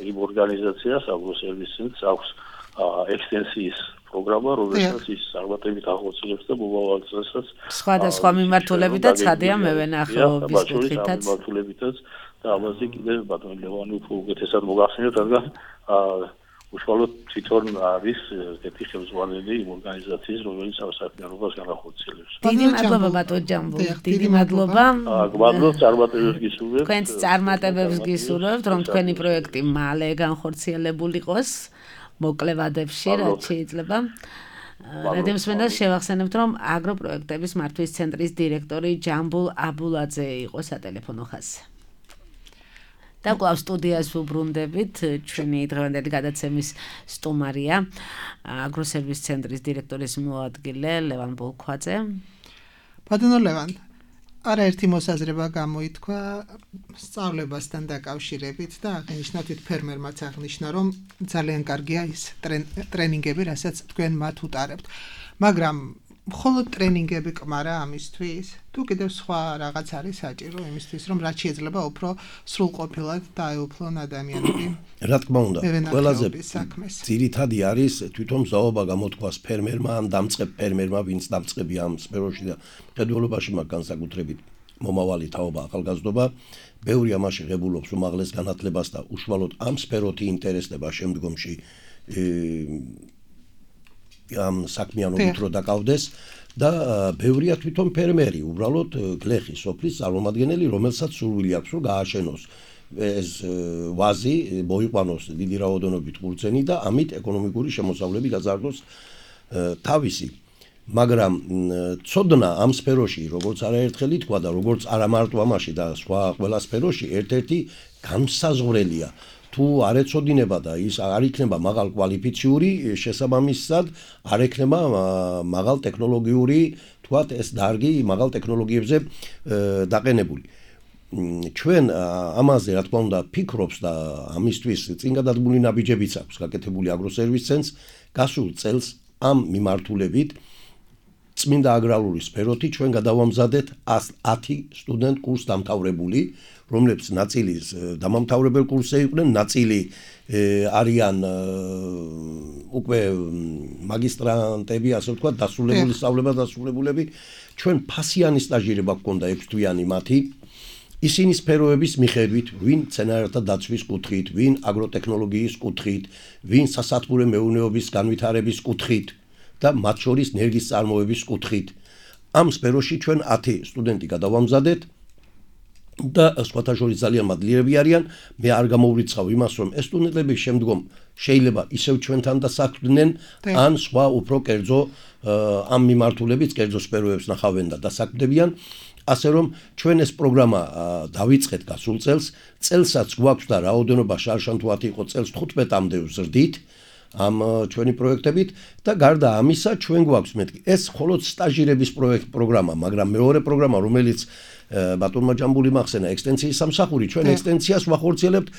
იმ ორგანიზაციას აგროსერვის ცენტრს აქვს ექსტენსიის პროგრამა, რომელსაც ის წარმატებით ახორციელებს და მომავალ წელსაც სხვადასხვა მიმართულებით და ცხადია მევენახეობის კუთხითაც მიმართულებითაც და ამაზე კიდევ ბატონ ლევანი უფრო უკეთესად მოგახსენებთ, რადგან უშუალოდ თვითონ არის ერთი ხელმძღვანელი იმ ორგანიზაციის, რომელიც ამ საქმიანობას განახორციელებს. დიდი მადლობა ბატონ ჯამბო. დიდი მადლობა. გმადლობთ, წარმატებებს გისურვებთ. თქვენს წარმატებებს გისურვებთ, რომ თქვენი პროექტი მალე განხორციელებული იყოს. მოკლევადებში, რაც შეიძლება. რადიოსმენას შევახსენებთ, რომ აგროპროექტების მართვის ცენტრის დირექტორი ჯამბულ აბულაძე იყო სატელეფონო ხაზზე. და კვლავ სტუდიას ვუბრუნდებით, ჩვენი დღევანდელი გადაცემის სტუმარია აგროსერვის ცენტრის დირექტორის მოადგილე ლევან ბოლქვაძე. ბატონო ლევან, არაერთი მოსაზრება გამოითქვა სწავლებასთან დაკავშირებით და აღნიშნა თვით ფერმერმაც აღნიშნა, რომ ძალიან კარგია ის ტრენინგები, რასაც თქვენ მათ უტარებთ. მაგრამ მხოლოდ ტრენინგები კმარა ამისთვის? თუ კიდევ სხვა რაღაც არის საჭირო იმისთვის, რომ რაც შეიძლება უფრო სრულყოფილად დაეუფლონ ადამიანები? რა თქმა უნდა, ყველაზე ძირითადი არის თვითონ მზაობა გამოთქვას ფერმერმა ან დამწყებ ფერმერმა, ვინც დამწყებია ამ სფეროში და მხედველობაში მაგ განსაკუთრებით მომავალი თაობა, ახალგაზრდობა, ბევრი ამაში ღებულობს უმაღლეს განათლებას და უშუალოდ ამ სფეროთი ინტერესდება შემდგომში ამ საქმიანობით რო დაკავდეს და ბევრია თვითონ ფერმერი, უბრალოდ გლეხის სოფლის წარმომადგენელი, რომელსაც სურვილი აქვს რომ გააშენოს ეს ვაზი, მოიყვანოს დიდი რაოდენობით ყურძენი და ამით ეკონომიკური შემოსავლები გაზარდოს თავისი. მაგრამ ცოდნა ამ სფეროში, როგორც არაერთხელ ითქვა და როგორც არა მარტო ამაში და სხვა ყველა სფეროში ერთ-ერთი განმსაზღვრელია. თუ არ ეცოდინება და ის არ იქნება მაღალ კვალიფიციური, შესაბამისად არ ექნება მაღალ ტექნოლოგიური, თქვათ ეს დარგი მაღალ ტექნოლოგიებზე დაყენებული. ჩვენ ამაზე რა თქმა უნდა ფიქრობს და ამისთვის წინ გადადგმული ნაბიჯებიც აქვს გაკეთებული აგროსერვის ცენტრს გასულ წელს ამ მიმართულებით წმინდა აგრარული სფეროთი ჩვენ გადავამზადეთ 10 სტუდენტ კურს დამთავრებული, რომლებიც ნაწილი დამამთავრებელ კურსზე იყვნენ, ნაწილი არიან უკვე მაგისტრანტები, ასე ვთქვათ, დასრულებული სწავლება დასრულებულები. ჩვენ ფასიანი სტაჟირება გქონდა 6 თვიანი მათი. ისინი სფეროების მიხედვით, ვინ მცენარეთა დაცვის კუთხით, ვინ აგროტექნოლოგიის კუთხით, ვინ სასათბურე მეურნეობის განვითარების კუთხით და მათ შორის ნერგის წარმოების კუთხით. ამ სფეროში ჩვენ 10 სტუდენტი გადავამზადეთ და სხვათა შორის ძალიან მადლიერები არიან. მე არ გამოვრიცხავ იმას, რომ ეს სტუდენტები შემდგომ შეიძლება ისევ ჩვენთან დასაქმდნენ, ან სხვა უფრო კერძო ამ მიმართულებით კერძო სფეროებს ნახავენ და დასაქმდებიან. ასე რომ ჩვენ ეს პროგრამა დავიწყეთ გასულ წელს, წელსაც გვაქვს და რაოდენობა შარშან თუ 10 იყო წელს 15-მდე ვზრდით. ამ ჩვენი პროექტებით და გარდა ამისა ჩვენ გვაქვს მეთქი ეს მხოლოდ სტაჟირების პროგრამა, მაგრამ მეორე პროგრამა, რომელიც ბატონმა ჯამბული მახსენა ექსტენციის სამსახური, ჩვენ ექსტენციას ვახორციელებთ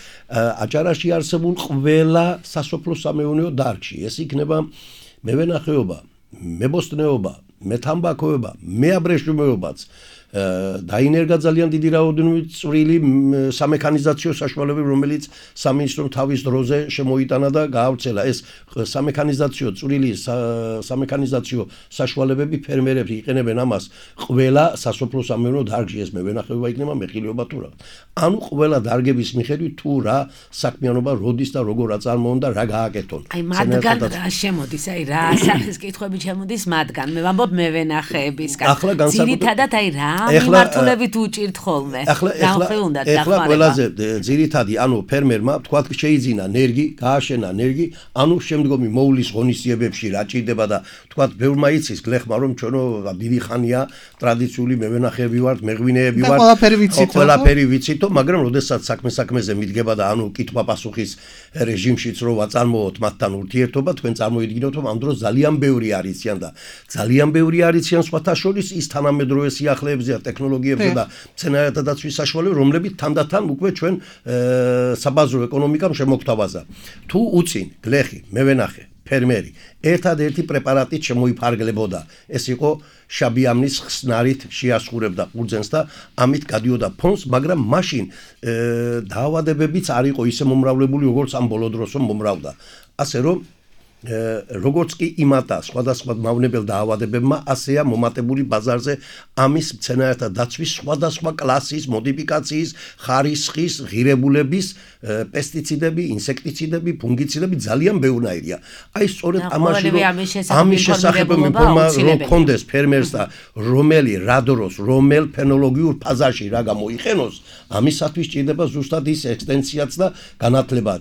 აჭარაში არსებულ ყველა სასოფლო-სამეურნეო დარგში. ეს იქნება მევენახეობა, მებოსტნეობა, მეთამბაქოება, მეაბრეშუმეობაც, დაინერგა ძალიან დიდი რაოდენობით წვრილი სამექანიზაციო საშუალებები, რომელიც სამინისტრომ თავის დროზე შემოიტანა და გაავრცელა. ეს სამექანიზაციო წვრილი სამექანიზაციო საშუალებები ფერმერები იყენებენ ამას ყველა სასოფლო-სამეურნეო დარგში, ეს მევენახეობა იქნება, მეხილეობა თუ რა. ანუ ყველა დარგების მიხედვით თუ რა საქმიანობა როდის და როგორ აწარმოონ და რა გააკეთონ. აი მათგან რა შემოდის, აი რა სახის კითხვები შემოდის მათგან. მე ვამბობ მევენახეებისგან. ძირითადად აი რა მიმართულებით უჭირთ ხოლმე. ახლა ყველაზე ძირითადი, ანუ ფერმერმა თქვა შეიძინა ნერგი, გააშენა ნერგი, ანუ შემდგომი მოვლის ღონისძიებებში რა ჭირდება და თქვა ბევრმა იცის გლეხმა რომ ჩვენო დიდი ხანია ტრადიციული მევენახეები ვართ, მეღვინეები ვართ. ყველაფერი ვიცითო, მაგრამ როდესაც საქმეზე მიდგება და ანუ კითხვა-პასუხის რეჟიმშიც რო ვაწარმოოთ მათთან ურთიერთობა, თქვენ წარმოიდგინოთ რომ ამ დროს ძალიან ბევრი არიციან და ძალიან ბევრი არიციან სხვათა შორის ის თანამედროვე სიახლეებზე ტექნოლოგიებზე და მცენარეთა დაცვის საშუალებები, რომლებიც თანდათან უკვე ჩვენ საბაზრო ეკონომიკამ შემოგთავაზა. თუ უწინ გლეხი, მევენახე, ფერმერი ერთადერთი პრეპარატით შემოიფარგლებოდა, ეს იყო შაბიამნის ხსნარით შეასხურებდა ყურძენს და ამით გადიოდა ფონს, მაგრამ მაშინ დაავადებებიც არ იყო ისე მომრავლებული, როგორც ამ ბოლო დროს მომრავდა. ასე რომ როგორც კი იმატა სხვადასხვა მავნებელ დაავადებებმა, ასეა მომატებული ბაზარზე ამის მცენარეთა დაცვის სხვადასხვა კლასის, მოდიფიკაციის, ხარისხის, ღირებულების, პესტიციდები, ინსექტიციდები, ფუნგიციდები ძალიან ბევრნაირია. აი სწორედ ამაში ამის შესახებ ინფორმაცია რომ კონდეს ფერმერს და რომელი რა დროს, რომელ ფენოლოგიურ ფაზაში რა გამოიყენოს, ამისათვის ჭირდება ზუსტად ის ექსტენციაც და განათლება.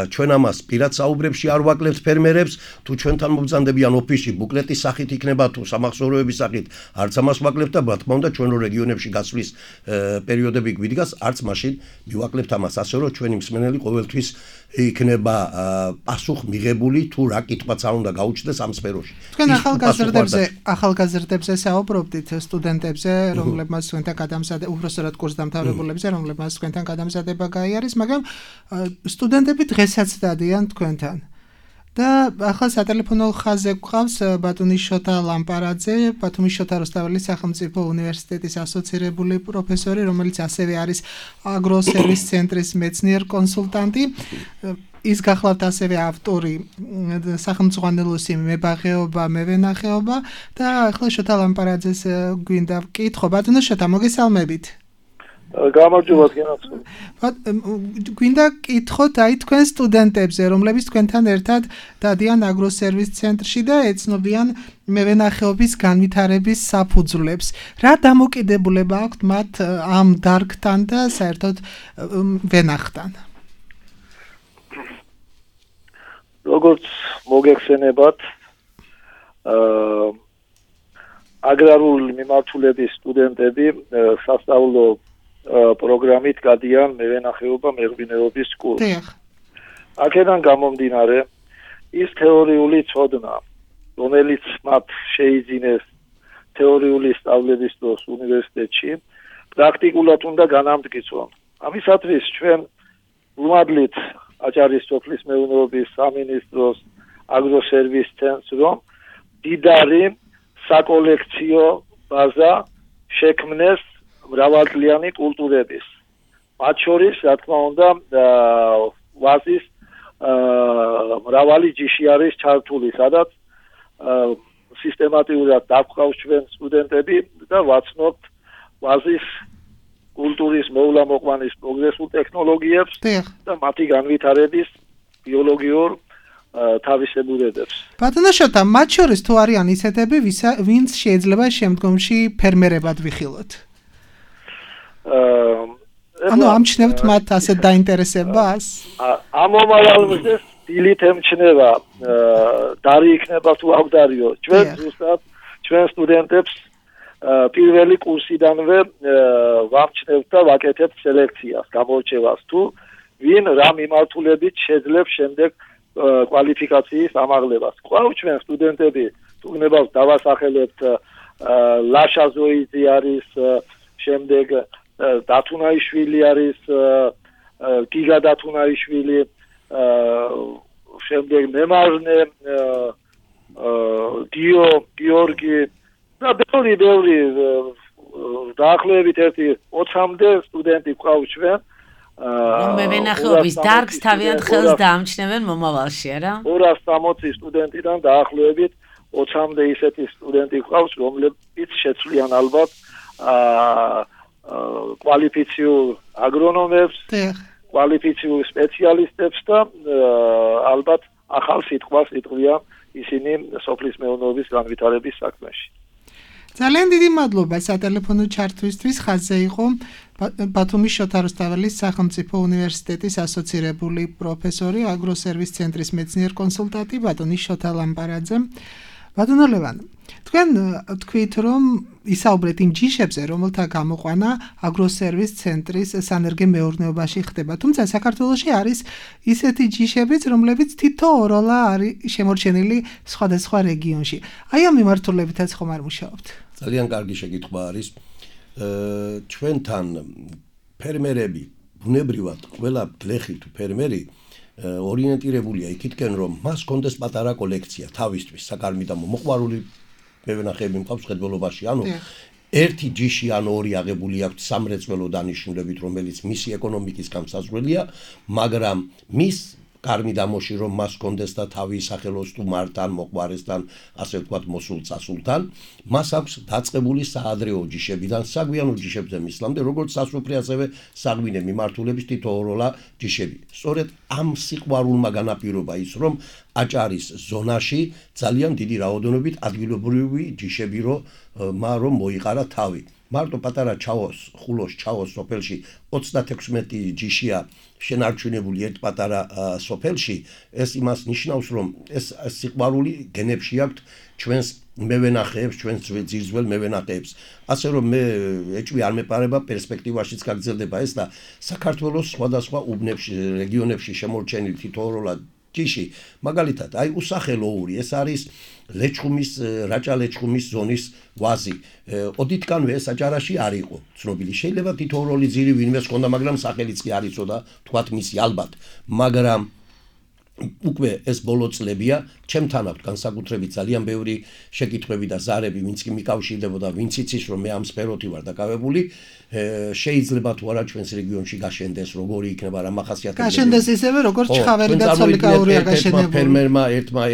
ჩვენ ამას პირად საუბრებში არ ვაკლებთ ფერმერებს, თუ ჩვენთან მოგზანდებიან ოფისში ბუკლეტის სახით იქნება თუ სამახსოვროების სახით, არც ამას ვაკლებთ და რა თქმა უნდა ჩვენ რო რეგიონებში გასვლის პერიოდები გვიდგას, არც მაშინ მივაკლებთ ამას, ასე რომ ჩვენი მსმენელი ყოველთვის იქნება პასუხ მიღებული თუ რა კითხვაც არ უნდა გაუჩნდეს ამ სფეროში. თქვენ ახალგაზრდებზე საუბრობდით, სტუდენტებზე, რომლებმაც თქვენთან გადამზადება, უბრალოდ კურსდამთავრებულებზე, რომლებმაც თქვენთან გადამზადება გაიარეს, მაგრამ სტუდენტები დღესაც დადიან თქვენთან. და ახლა სატელეფონო ხაზზე გვყავს ბატონი შოთა ლამპარაძე, ბათუმის შოთა რუსთაველის სახელმწიფო უნივერსიტეტის ასოცირებული პროფესორი, რომელიც ასევე არის აგროსერვის ცენტრის მეცნიერ კონსულტანტი. ის გახლავთ ასევე ავტორი სახელმწიფო მებაღეობა, მევენახეობა და ახლა შოთა ლამპარაძეს გვინდა ვკითხო. ბატონო შოთა, მოგესალმებით. გამარჯობა გენაცვლ. გვინდა კითხოთ აი თქვენ სტუდენტებზე, რომლებიც თქვენთან ერთად დადიან აგროსერვის ცენტრში და ეცნობიან მევენახეობის განვითარების საფუძვლებს. რა დამოკიდებულება აქვთ მათ ამ დარგთან და საერთოდ ვენახთან? როგორც მოგეხსენებათ, აგრარული მიმართულების სტუდენტები სასწავლო პროგრამით გადიან მევენახეობა, მეღვინეობის კურსს. აქედან გამომდინარე, ის თეორიული ცოდნა, რომელიც მათ შეიძინეს თეორიული სწავლების დროს უნივერსიტეტში, პრაქტიკულად უნდა განამტკიცონ. ამისათვის ჩვენ ვუმადლით აჭარის სოფლის მეურნეობის სამინისტროს აგროსერვის ცენტრს, რომ დიდარი საკოლექციო ბაზა შექმნეს მრავალწლიანი კულტურების. მათ შორის, რა თქმა უნდა, ვაზის მრავალი ჯიში არის ჩართული, სადაც სისტემატიურად დაგვყავს ჩვენ სტუდენტები და ვაცნობთ ვაზის კულტურის მოვლა-მოყვანის პროგრესულ ტექნოლოგიებს და მათი განვითარების ბიოლოგიურ თავისებურებებს. ბატონო შოთა, მათ შორის თუ არიან ისეთები, ვინც შეიძლება შემდგომში ფერმერებად ვიხილოთ? ანუ ამჩნევთ მათ ასეთ დაინტერესებას? ამ მომავალზე დილით ემჩნევა, დარი იქნება თუ აღდარიო. ჩვენ ზუსტად ჩვენ სტუდენტებს პირველი კურსიდანვე ვამჩნევთ და ვაკეთებთ სელექციას, გამორჩევას თუ ვინ რა მიმართულებით შეძლებს შემდეგ კვალიფიკაციის ამაღლებას. ყავს ჩვენ სტუდენტები, თუნდაც დავასახელებთ ლაშა ზოიძე არის, შემდეგ დათუნაიშვილი არის, გიგა დათუნაიშვილი, შემდეგ მემარნე გიორგი და ბევრი დაახლოებით 20-მდე სტუდენტი ყავს ჩვენ. მევენახეობის დარგს თავიანთ ხელს დაამჩნევენ მომავალში, არა? 260 სტუდენტიდან დაახლოებით 20-მდე ისეთი სტუდენტი ყავს, რომლებიც შეცვლიან ალბათ კვალიფიციურ აგრონომებს, კვალიფიციურ სპეციალისტებს და ალბათ ახალ სიტყვას იტყვიან ისინი სოფლის მეურნეობის განვითარების საქმეში. ძალიან დიდი მადლობა სატელეფონო ჩართვისთვის. ხაზზე იყო ბათუმის შოთა რუსთაველის სახელმწიფო უნივერსიტეტის ასოცირებული პროფესორი, აგროსერვის ცენტრის მეცნიერ-კონსულტანტი ბატონი შოთა ლამპარაძე. ბატონო ლევან, თქვენ თქვით, რომ ისაუბრეთ იმ ჯიშებზე, რომელთა გამოყვანა აგროსერვის ცენტრის სანერგე მეურნეობაში ხდება. თუმცა საქართველოში არის ისეთი ჯიშებიც, რომლებიც თითოეულა არის შემორჩენილი სხვადასხვა რეგიონში. აი ამ მიმართულებითაც ხომ არ მუშაობთ? ძალიან კარგი შეკითხვა არის. ჩვენთან ფერმერები, ბუნებრივად, ყველა გლეხი თუ ფერმერი ორიენტირებულია იქითკენ, რომ მას კონდეს პატარა კოლექცია თავისთვის, საკარმიდამო მოყვარული მევენახეები მყავს ხელბოლობაში, ანუ ერთი ჯიში ან ორი აღებული აქვს სამრეწველო დანიშნულებით, რომელიც მისი ეკონომიკის გამსაზღვრელია, მაგრამ მის კარმიდამოში რომ მას კონდეს და თავის სახელოს სტუმართან, მოყვარესთან, ასე ვთქვათ, მოსულ წასულთან, მას აქვს დაწყებული საადრეო ჯიშებიდან საგვიანო ჯიშებზე მისვლამდე, როგორც სასოფლო ასევე საღვინე მიმართულების თითოეულა ჯიშები. სწორედ ამ სიყვარულმა განაპირობა ის, რომ აჭარის ზონაში ძალიან დიდი რაოდენობით ადგილობრივი ჯიშები რომ მოიყარა თავი. მარტო პატარა ჩაოს, ხულოს ჩაოს სოფელში 36 ჯიშია შენარჩუნებული ერთ პატარა სოფელში, ეს იმას ნიშნავს, რომ ეს სიყვარული გენებში აქვს ჩვენს მევენახეებს, ჩვენს ძირძველ მევენახეებს. ასე რომ მე ეჭვი არ მეპარება პერსპექტივაშიც გაგრძელდება ეს და საქართველოს სხვადასხვა უბნებში, რეგიონებში შემორჩენილი თითოეულა ჯიში, მაგალითად, აი უსახელოური, ეს არის ლეჩხუმის, რაჭა-ლეჩხუმის ზონის ვაზი. ოდითკანვე ეს აჭარაში არ იყო ცნობილი. შეიძლება თითოეული ძირი ვინმე ჰქონდა, მაგრამ სახელიც კი არ იცოდა, თქვათ მისი ალბათ. მაგრამ უკვე ეს ბოლო წლებია, ჩემთან აქვს განსაკუთრებით ძალიან ბევრი შეკითხვები და ზარები, ვინც კი მიკავშირდებოდა, ვინც იცის, რომ მე ამ სფეროთი ვარ დაკავებული, შეიძლება თუ არა ჩვენს რეგიონში გაშენდეს, როგორი იქნება რა მახასიათებელი. გაშენდეს ისევე, როგორც ჩხავერი და ცოლიკაურია გაშენებული.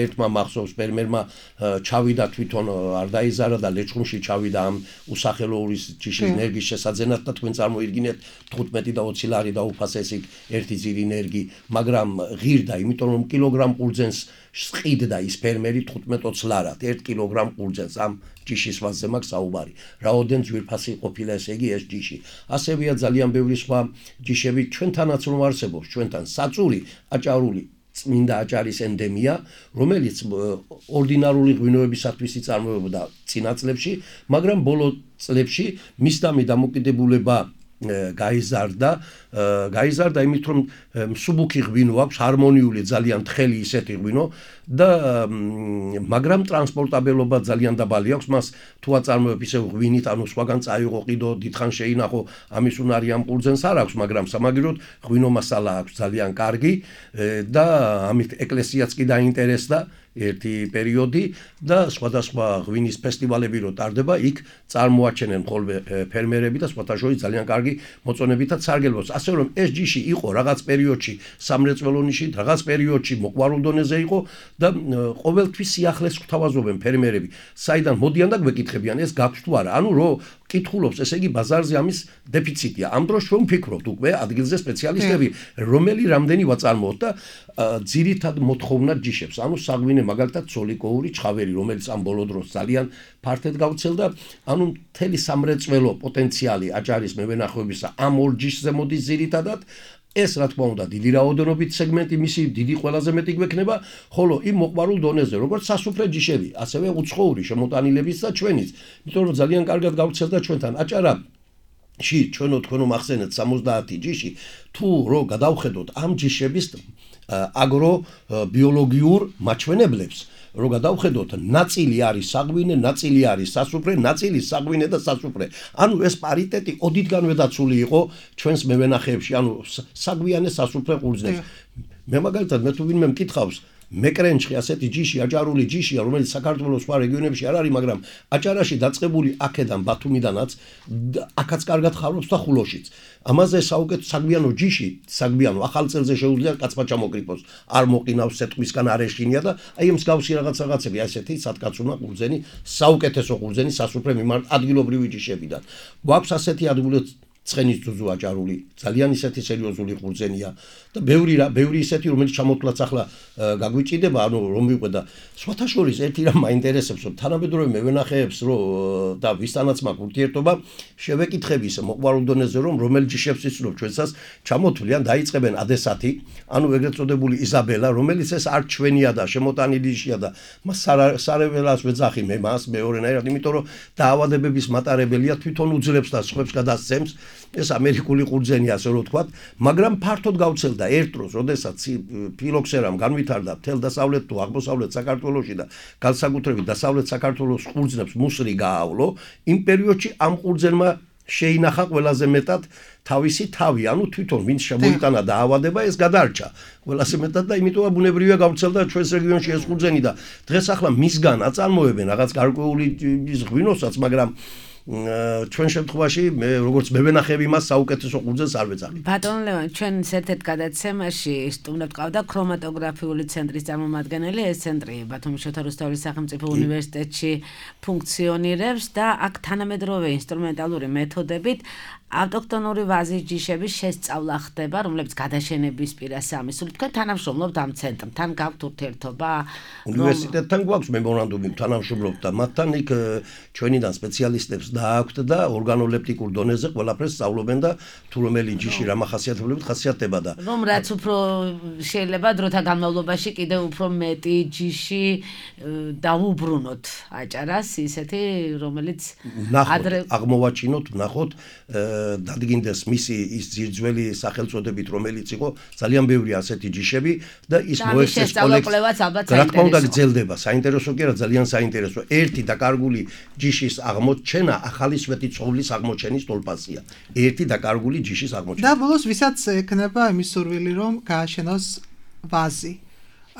ერთმა მახსოვს ფერმერმა ჩავიდა თვითონ არ დაიზარა და ლეჩხუმში ჩავიდა ამ უსახელოურის ჯიშის ნერგის შესაძენად და თქვენ წარმოიდგინეთ 15 და 20 ლარი დაუფასეს იქ ერთი ძირი ნერგი, მაგრამ ღირდა, იმიტომ რომ კილოგრამ ყურძენს სყიდდა ის ფერმერი 15-20 ლარად 1 კილოგრამ ყურძენს ამ ჯიშის ვაზზე მაქვს საუბარი. რაოდენ ძვირფასი ყოფილა ესე იგი ეს ჯიში. ასევეა ძალიან ბევრი სხვა ჯიშები ჩვენთანაც რომ არსებობს, ჩვენთან საწური, აჭარული წმინდა აჭარის ენდემია, რომელიც ორდინარული ღვინოებისათვის იწარმოებოდა წინა წლებში, მაგრამ ბოლო წლებში მისდამი დამოკიდებულება გაიზარდა იმით რომ მსუბუქი ღვინო აქვს, ჰარმონიული ძალიან თხელი ისეთი ღვინო და მაგრამ ტრანსპორტაბელობა ძალიან დაბალი აქვს, მას თუ აწარმოებ ისე ღვინით, ანუ სხვაგან წაიღო ყიდო, დიდხან შეინახო, ამის უნარი ამ ყურძენს არ აქვს, მაგრამ სამაგიეროდ ღვინო მასალა აქვს ძალიან კარგი და ამით ეკლესიაც კი დაინტერესდა ერთი პერიოდი და სხვადასხვა ღვინის ფესტივალები რო ტარდება, იქ წარმოაჩენენ ხოლმე ფერმერები და სხვათა შორის ძალიან კარგი მოწონებითაც სარგებლობს. ასე რომ ეს ჯიში იყო რაღაც პერიოდში სამრეწველო ნიში, რაღაც პერიოდში მოყვარულ დონეზე იყო და ყოველთვის სიახლეს გვთავაზობენ ფერმერები. საიდან მოდიან და გვეკითხებიან ეს გაქვს თუ არა. ანუ რო კითხულობს, ესე იგი ბაზარზე ამის დეფიციტია. ამ დროს ჩვენ ვფიქრობთ უკვე ადგილზე სპეციალისტები, რომელი რამდენი ვაწარმოოთ და ძირითად მოთხოვნა ჯიშებს. ანუ საღვინე მაგალითად ცოლიკოური ჩხავერი, რომელიც ამ ბოლო დროს ძალიან ფართედ გავრცელდა, ანუ მთელი სამრეწველო პოტენციალი აჭარის მევენახეობისა ამ ორ ჯიშზე მოდის ძირითადად. ეს რა თქმა უნდა დიდი რაოდენობით სეგმენტი მისი დიდი ყველაზე მეტი გვექნება, ხოლო იმ მოყვარულ დონეზე, როგორც სასუფრე ჯიშები, ასევე უცხოური შემოტანილების და ჩვენიც, იმიტომ რომ ძალიან კარგად გავრცელდა ჩვენთან აჭარაში, ჩვენო მახსენეთ 70 ჯიში, თუ რო გადავხედოთ ამ ჯიშების აგრობიოლოგიურ მაჩვენებლებს, რომ გადავხედოთ, ნაწილი არის საღვინე, ნაწილი არის სასუფრე, ნაწილი საღვინე და სასუფრე. ანუ ეს პარიტეტი ოდითგანვე დაცული იყო ჩვენს მევენახეებში, ანუ საგვიანე სასუფრე ყურძნებს. მე მაგალითად მე თუ ვინმე მკითხავს მეკრენჩხი ასეთი ჯიში, აჭარული ჯიშია, რომელიც საქართველოს სხვა რეგიონებში არ არის, მაგრამ აჭარაში დაწყებული აქედან ბათუმიდანაც, აქაც კარგად ხარობს და ხულოშიც. ამაზე საუკეთესო საგვიანო ჯიში, საგვიანო ახალ წელზე შეუძლია კაცმა ჩამოკრიფოს, არ მოყინავს სეტყვისგან არ ეშინია და აი მსგავსი რაღაცები, ასეთი სათკაცუნა ყურძენი, საუკეთესო ყურძენი სასუფრე მიმართ ადგილობრივი ჯიშებიდან. გვაქვს ასეთი ადგილობრივი ცხენის ძუძუ აჭარული, ძალიან ისეთი სერიოზული ყურძენია და ბევრი ისეთი, რომელიც ჩამოთვლაც ახლა გაგვიჭიდება, ანუ რომ ვიყვე და სხვათა შორის ერთი რამ მაინტერესებს, რომ თანამედროვე მევენახეებს და ვისთანაც მაქვს ურთიერთობა, შევეკითხები ისე მოყვარულ დონეზე, რომ რომელ ჯიშებს იცნობ ჩვენსაც ჩამოთვლიან, დაიწყებენ ადესათი, ანუ ეგრეთ წოდებული იზაბელა, რომელიც ეს არ ჩვენია და შემოტანილი ჯიშია და მას სარეველას ვეძახი მე მას მეორენაირად, იმიტომ რომ დაავადებების მატარებელია, თვითონ უძლებს და სხვებს გადასცემს. ეს ამერიკული ყურძენი ასე რომ ვთქვათ, მაგრამ ფართოდ გავრცელდა ერთ დროს, როდესაც ფილოქსერამ განვითარდა მთელ დასავლეთ თუ აღმოსავლეთ საქართველოში და განსაკუთრებით დასავლეთ საქართველოს ყურძნებს მუსრი გაავლო, იმ პერიოდში ამ ყურძენმა შეინახა ყველაზე მეტად თავისი თავი, ანუ თვითონ ვინც შემოიტანა დაავადება, ეს გადარჩა ყველაზე მეტად და იმიტომ ბუნებრივია გავრცელდა ჩვენს რეგიონში ეს ყურძენი და დღეს ახლა მისგან აწარმოებენ რაღაც გარკვეული ღვინოსაც, მაგრამ ჩვენ შემთხვევაში მე როგორც მევენახები მას საუკეთესო ყურძენს არ ვეძახი. ბატონ ლევან, ჩვენ ერთ-ერთ გადაცემაში სტუმრად ყავდა ქრომატოგრაფიული ცენტრის წარმომადგენელი, ეს ცენტრი ბათუმის შოთა რუსთაველის სახელმწიფო უნივერსიტეტში ფუნქციონირებს და აქ თანამედროვე ინსტრუმენტალური მეთოდებით ავტოქთონური ვაზის ჯიშების შესწავლა ხდება, რომლებიც გადაშენების პირას ამისული. თქვენ თანამშრომლობთ ამ ცენტრთან, გაქვთ ურთიერთობა? უნივერსიტეტთან გვაქვს მემორანდუმი, თანამშრომლობთ და მათთან იქ ჩვენიდან სპეციალისტებს დააქვთ და ორგანოლეპტიკურ დონეზე ყველაფერს სწავლობენ და თუ რომელი ჯიში რა მახასიათებლებით ხასიათდება და რომ რაც უფრო შეიძლება დროთა განმავლობაში კიდევ უფრო მეტი ჯიში დაუბრუნოთ აჭარას, ისეთი რომელიც აღმოვაჩინოთ, ვნახოთ დადგინდეს მისი ის ძირძველი სახელწოდებით, რომელიც იყო ძალიან ბევრი ასეთი ჯიშები და ის მოექცეს კოლექციას. რა თქმა უნდა გრძელდება, საინტერესო კი არა, ძალიან საინტერესო. ერთი დაკარგული ჯიშის აღმოჩენა ახალი სვეტი ცხოვლის აღმოჩენის თოლპასია. ერთი დაკარგული ჯიშის აღმოჩენა. და ბოლოს ვისაც ექნება იმის სურვილი, რომ გააშენოს ვაზი.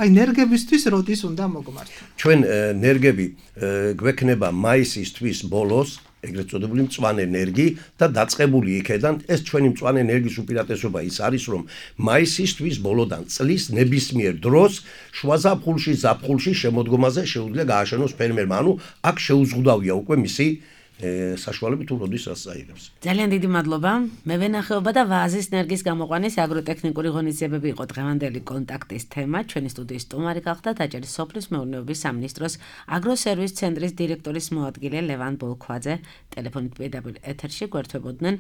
აი ნერგებისთვის როდის უნდა მოგმართო? ჩვენ ნერგები გვექნება მაისის თვის ბოლოს, ეგრეთ წოდებული მწვანე ნერგი და დაწყებული იქედან ეს ჩვენი მწვანე ნერგის უპირატესობა ის არის, რომ მაისის თვის ბოლოდან წლის ნებისმიერ დროს შუა ზაფხულში შემოდგომაზე შეუძლია გააშენოს ფერმერმა, ანუ აქ შეუზღუდავია უკვე მისი საშუალებით თუ როდის რას აიღებს. ძალიან დიდი მადლობა. მევენახეობა და ვაზის ნერგის გამოყვანის აგროტექნიკური ღონისძიებები იყო დღევანდელი კონტაქტის თემა. ჩვენი სტუდიის სტუმარი გახდა დაჭერის სოფლის მეურნეობის სამინისტროს აგროსერვის ცენტრის დირექტორის მოადგილე ლევან ბოლქვაძე. ტელეფონით პირდაპირ ეთერში გვერდებოდნენ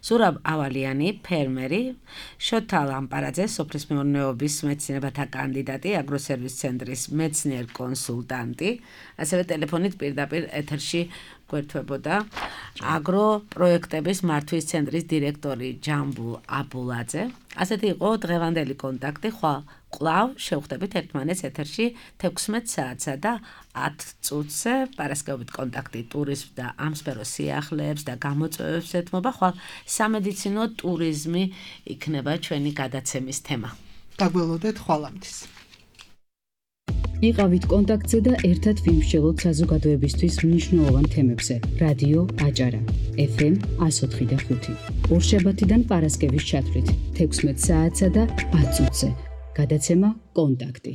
ზურაბ ავალიანი, ფერმერი, შოთა ლამპარაძე, სოფლის მეურნეობის მეცნიერებათა კანდიდატი, აგროსერვის ცენტრის მეცნიერ კონსულტანტი, ასევე ტელეფონით პირდაპირ ეთერში გვერდებოდა აგროპროექტების მართვის ცენტრის დირექტორი ჯამბულ აბულაძე. ასეთი იყო დღევანდელი კონტაქტი. კვლავ შევხვდებით ერთმანეთს ეთერში 16 საათსა და 10 წუთზე. პარასკევობით კონტაქტი ტურიზმ და ამ სფეროს სიახლეებს და გამოწვევებს ეთმობა. ხვალ სამედიცინო ტურიზმი იქნება ჩვენი გადაცემის თემა. დაგველოდეთ ხვალამდის. იყავით კონტაქტზე და ერთად ვიმსჯელოთ საზოგადოებისთვის მნიშვნელოვან თემებზე. რადიო აჭარა FM 104.5. ორშაბათიდან პარასკევის ჩათვლით 16 საათსა და 10 წუთზე. გადაცემა კონტაქტი.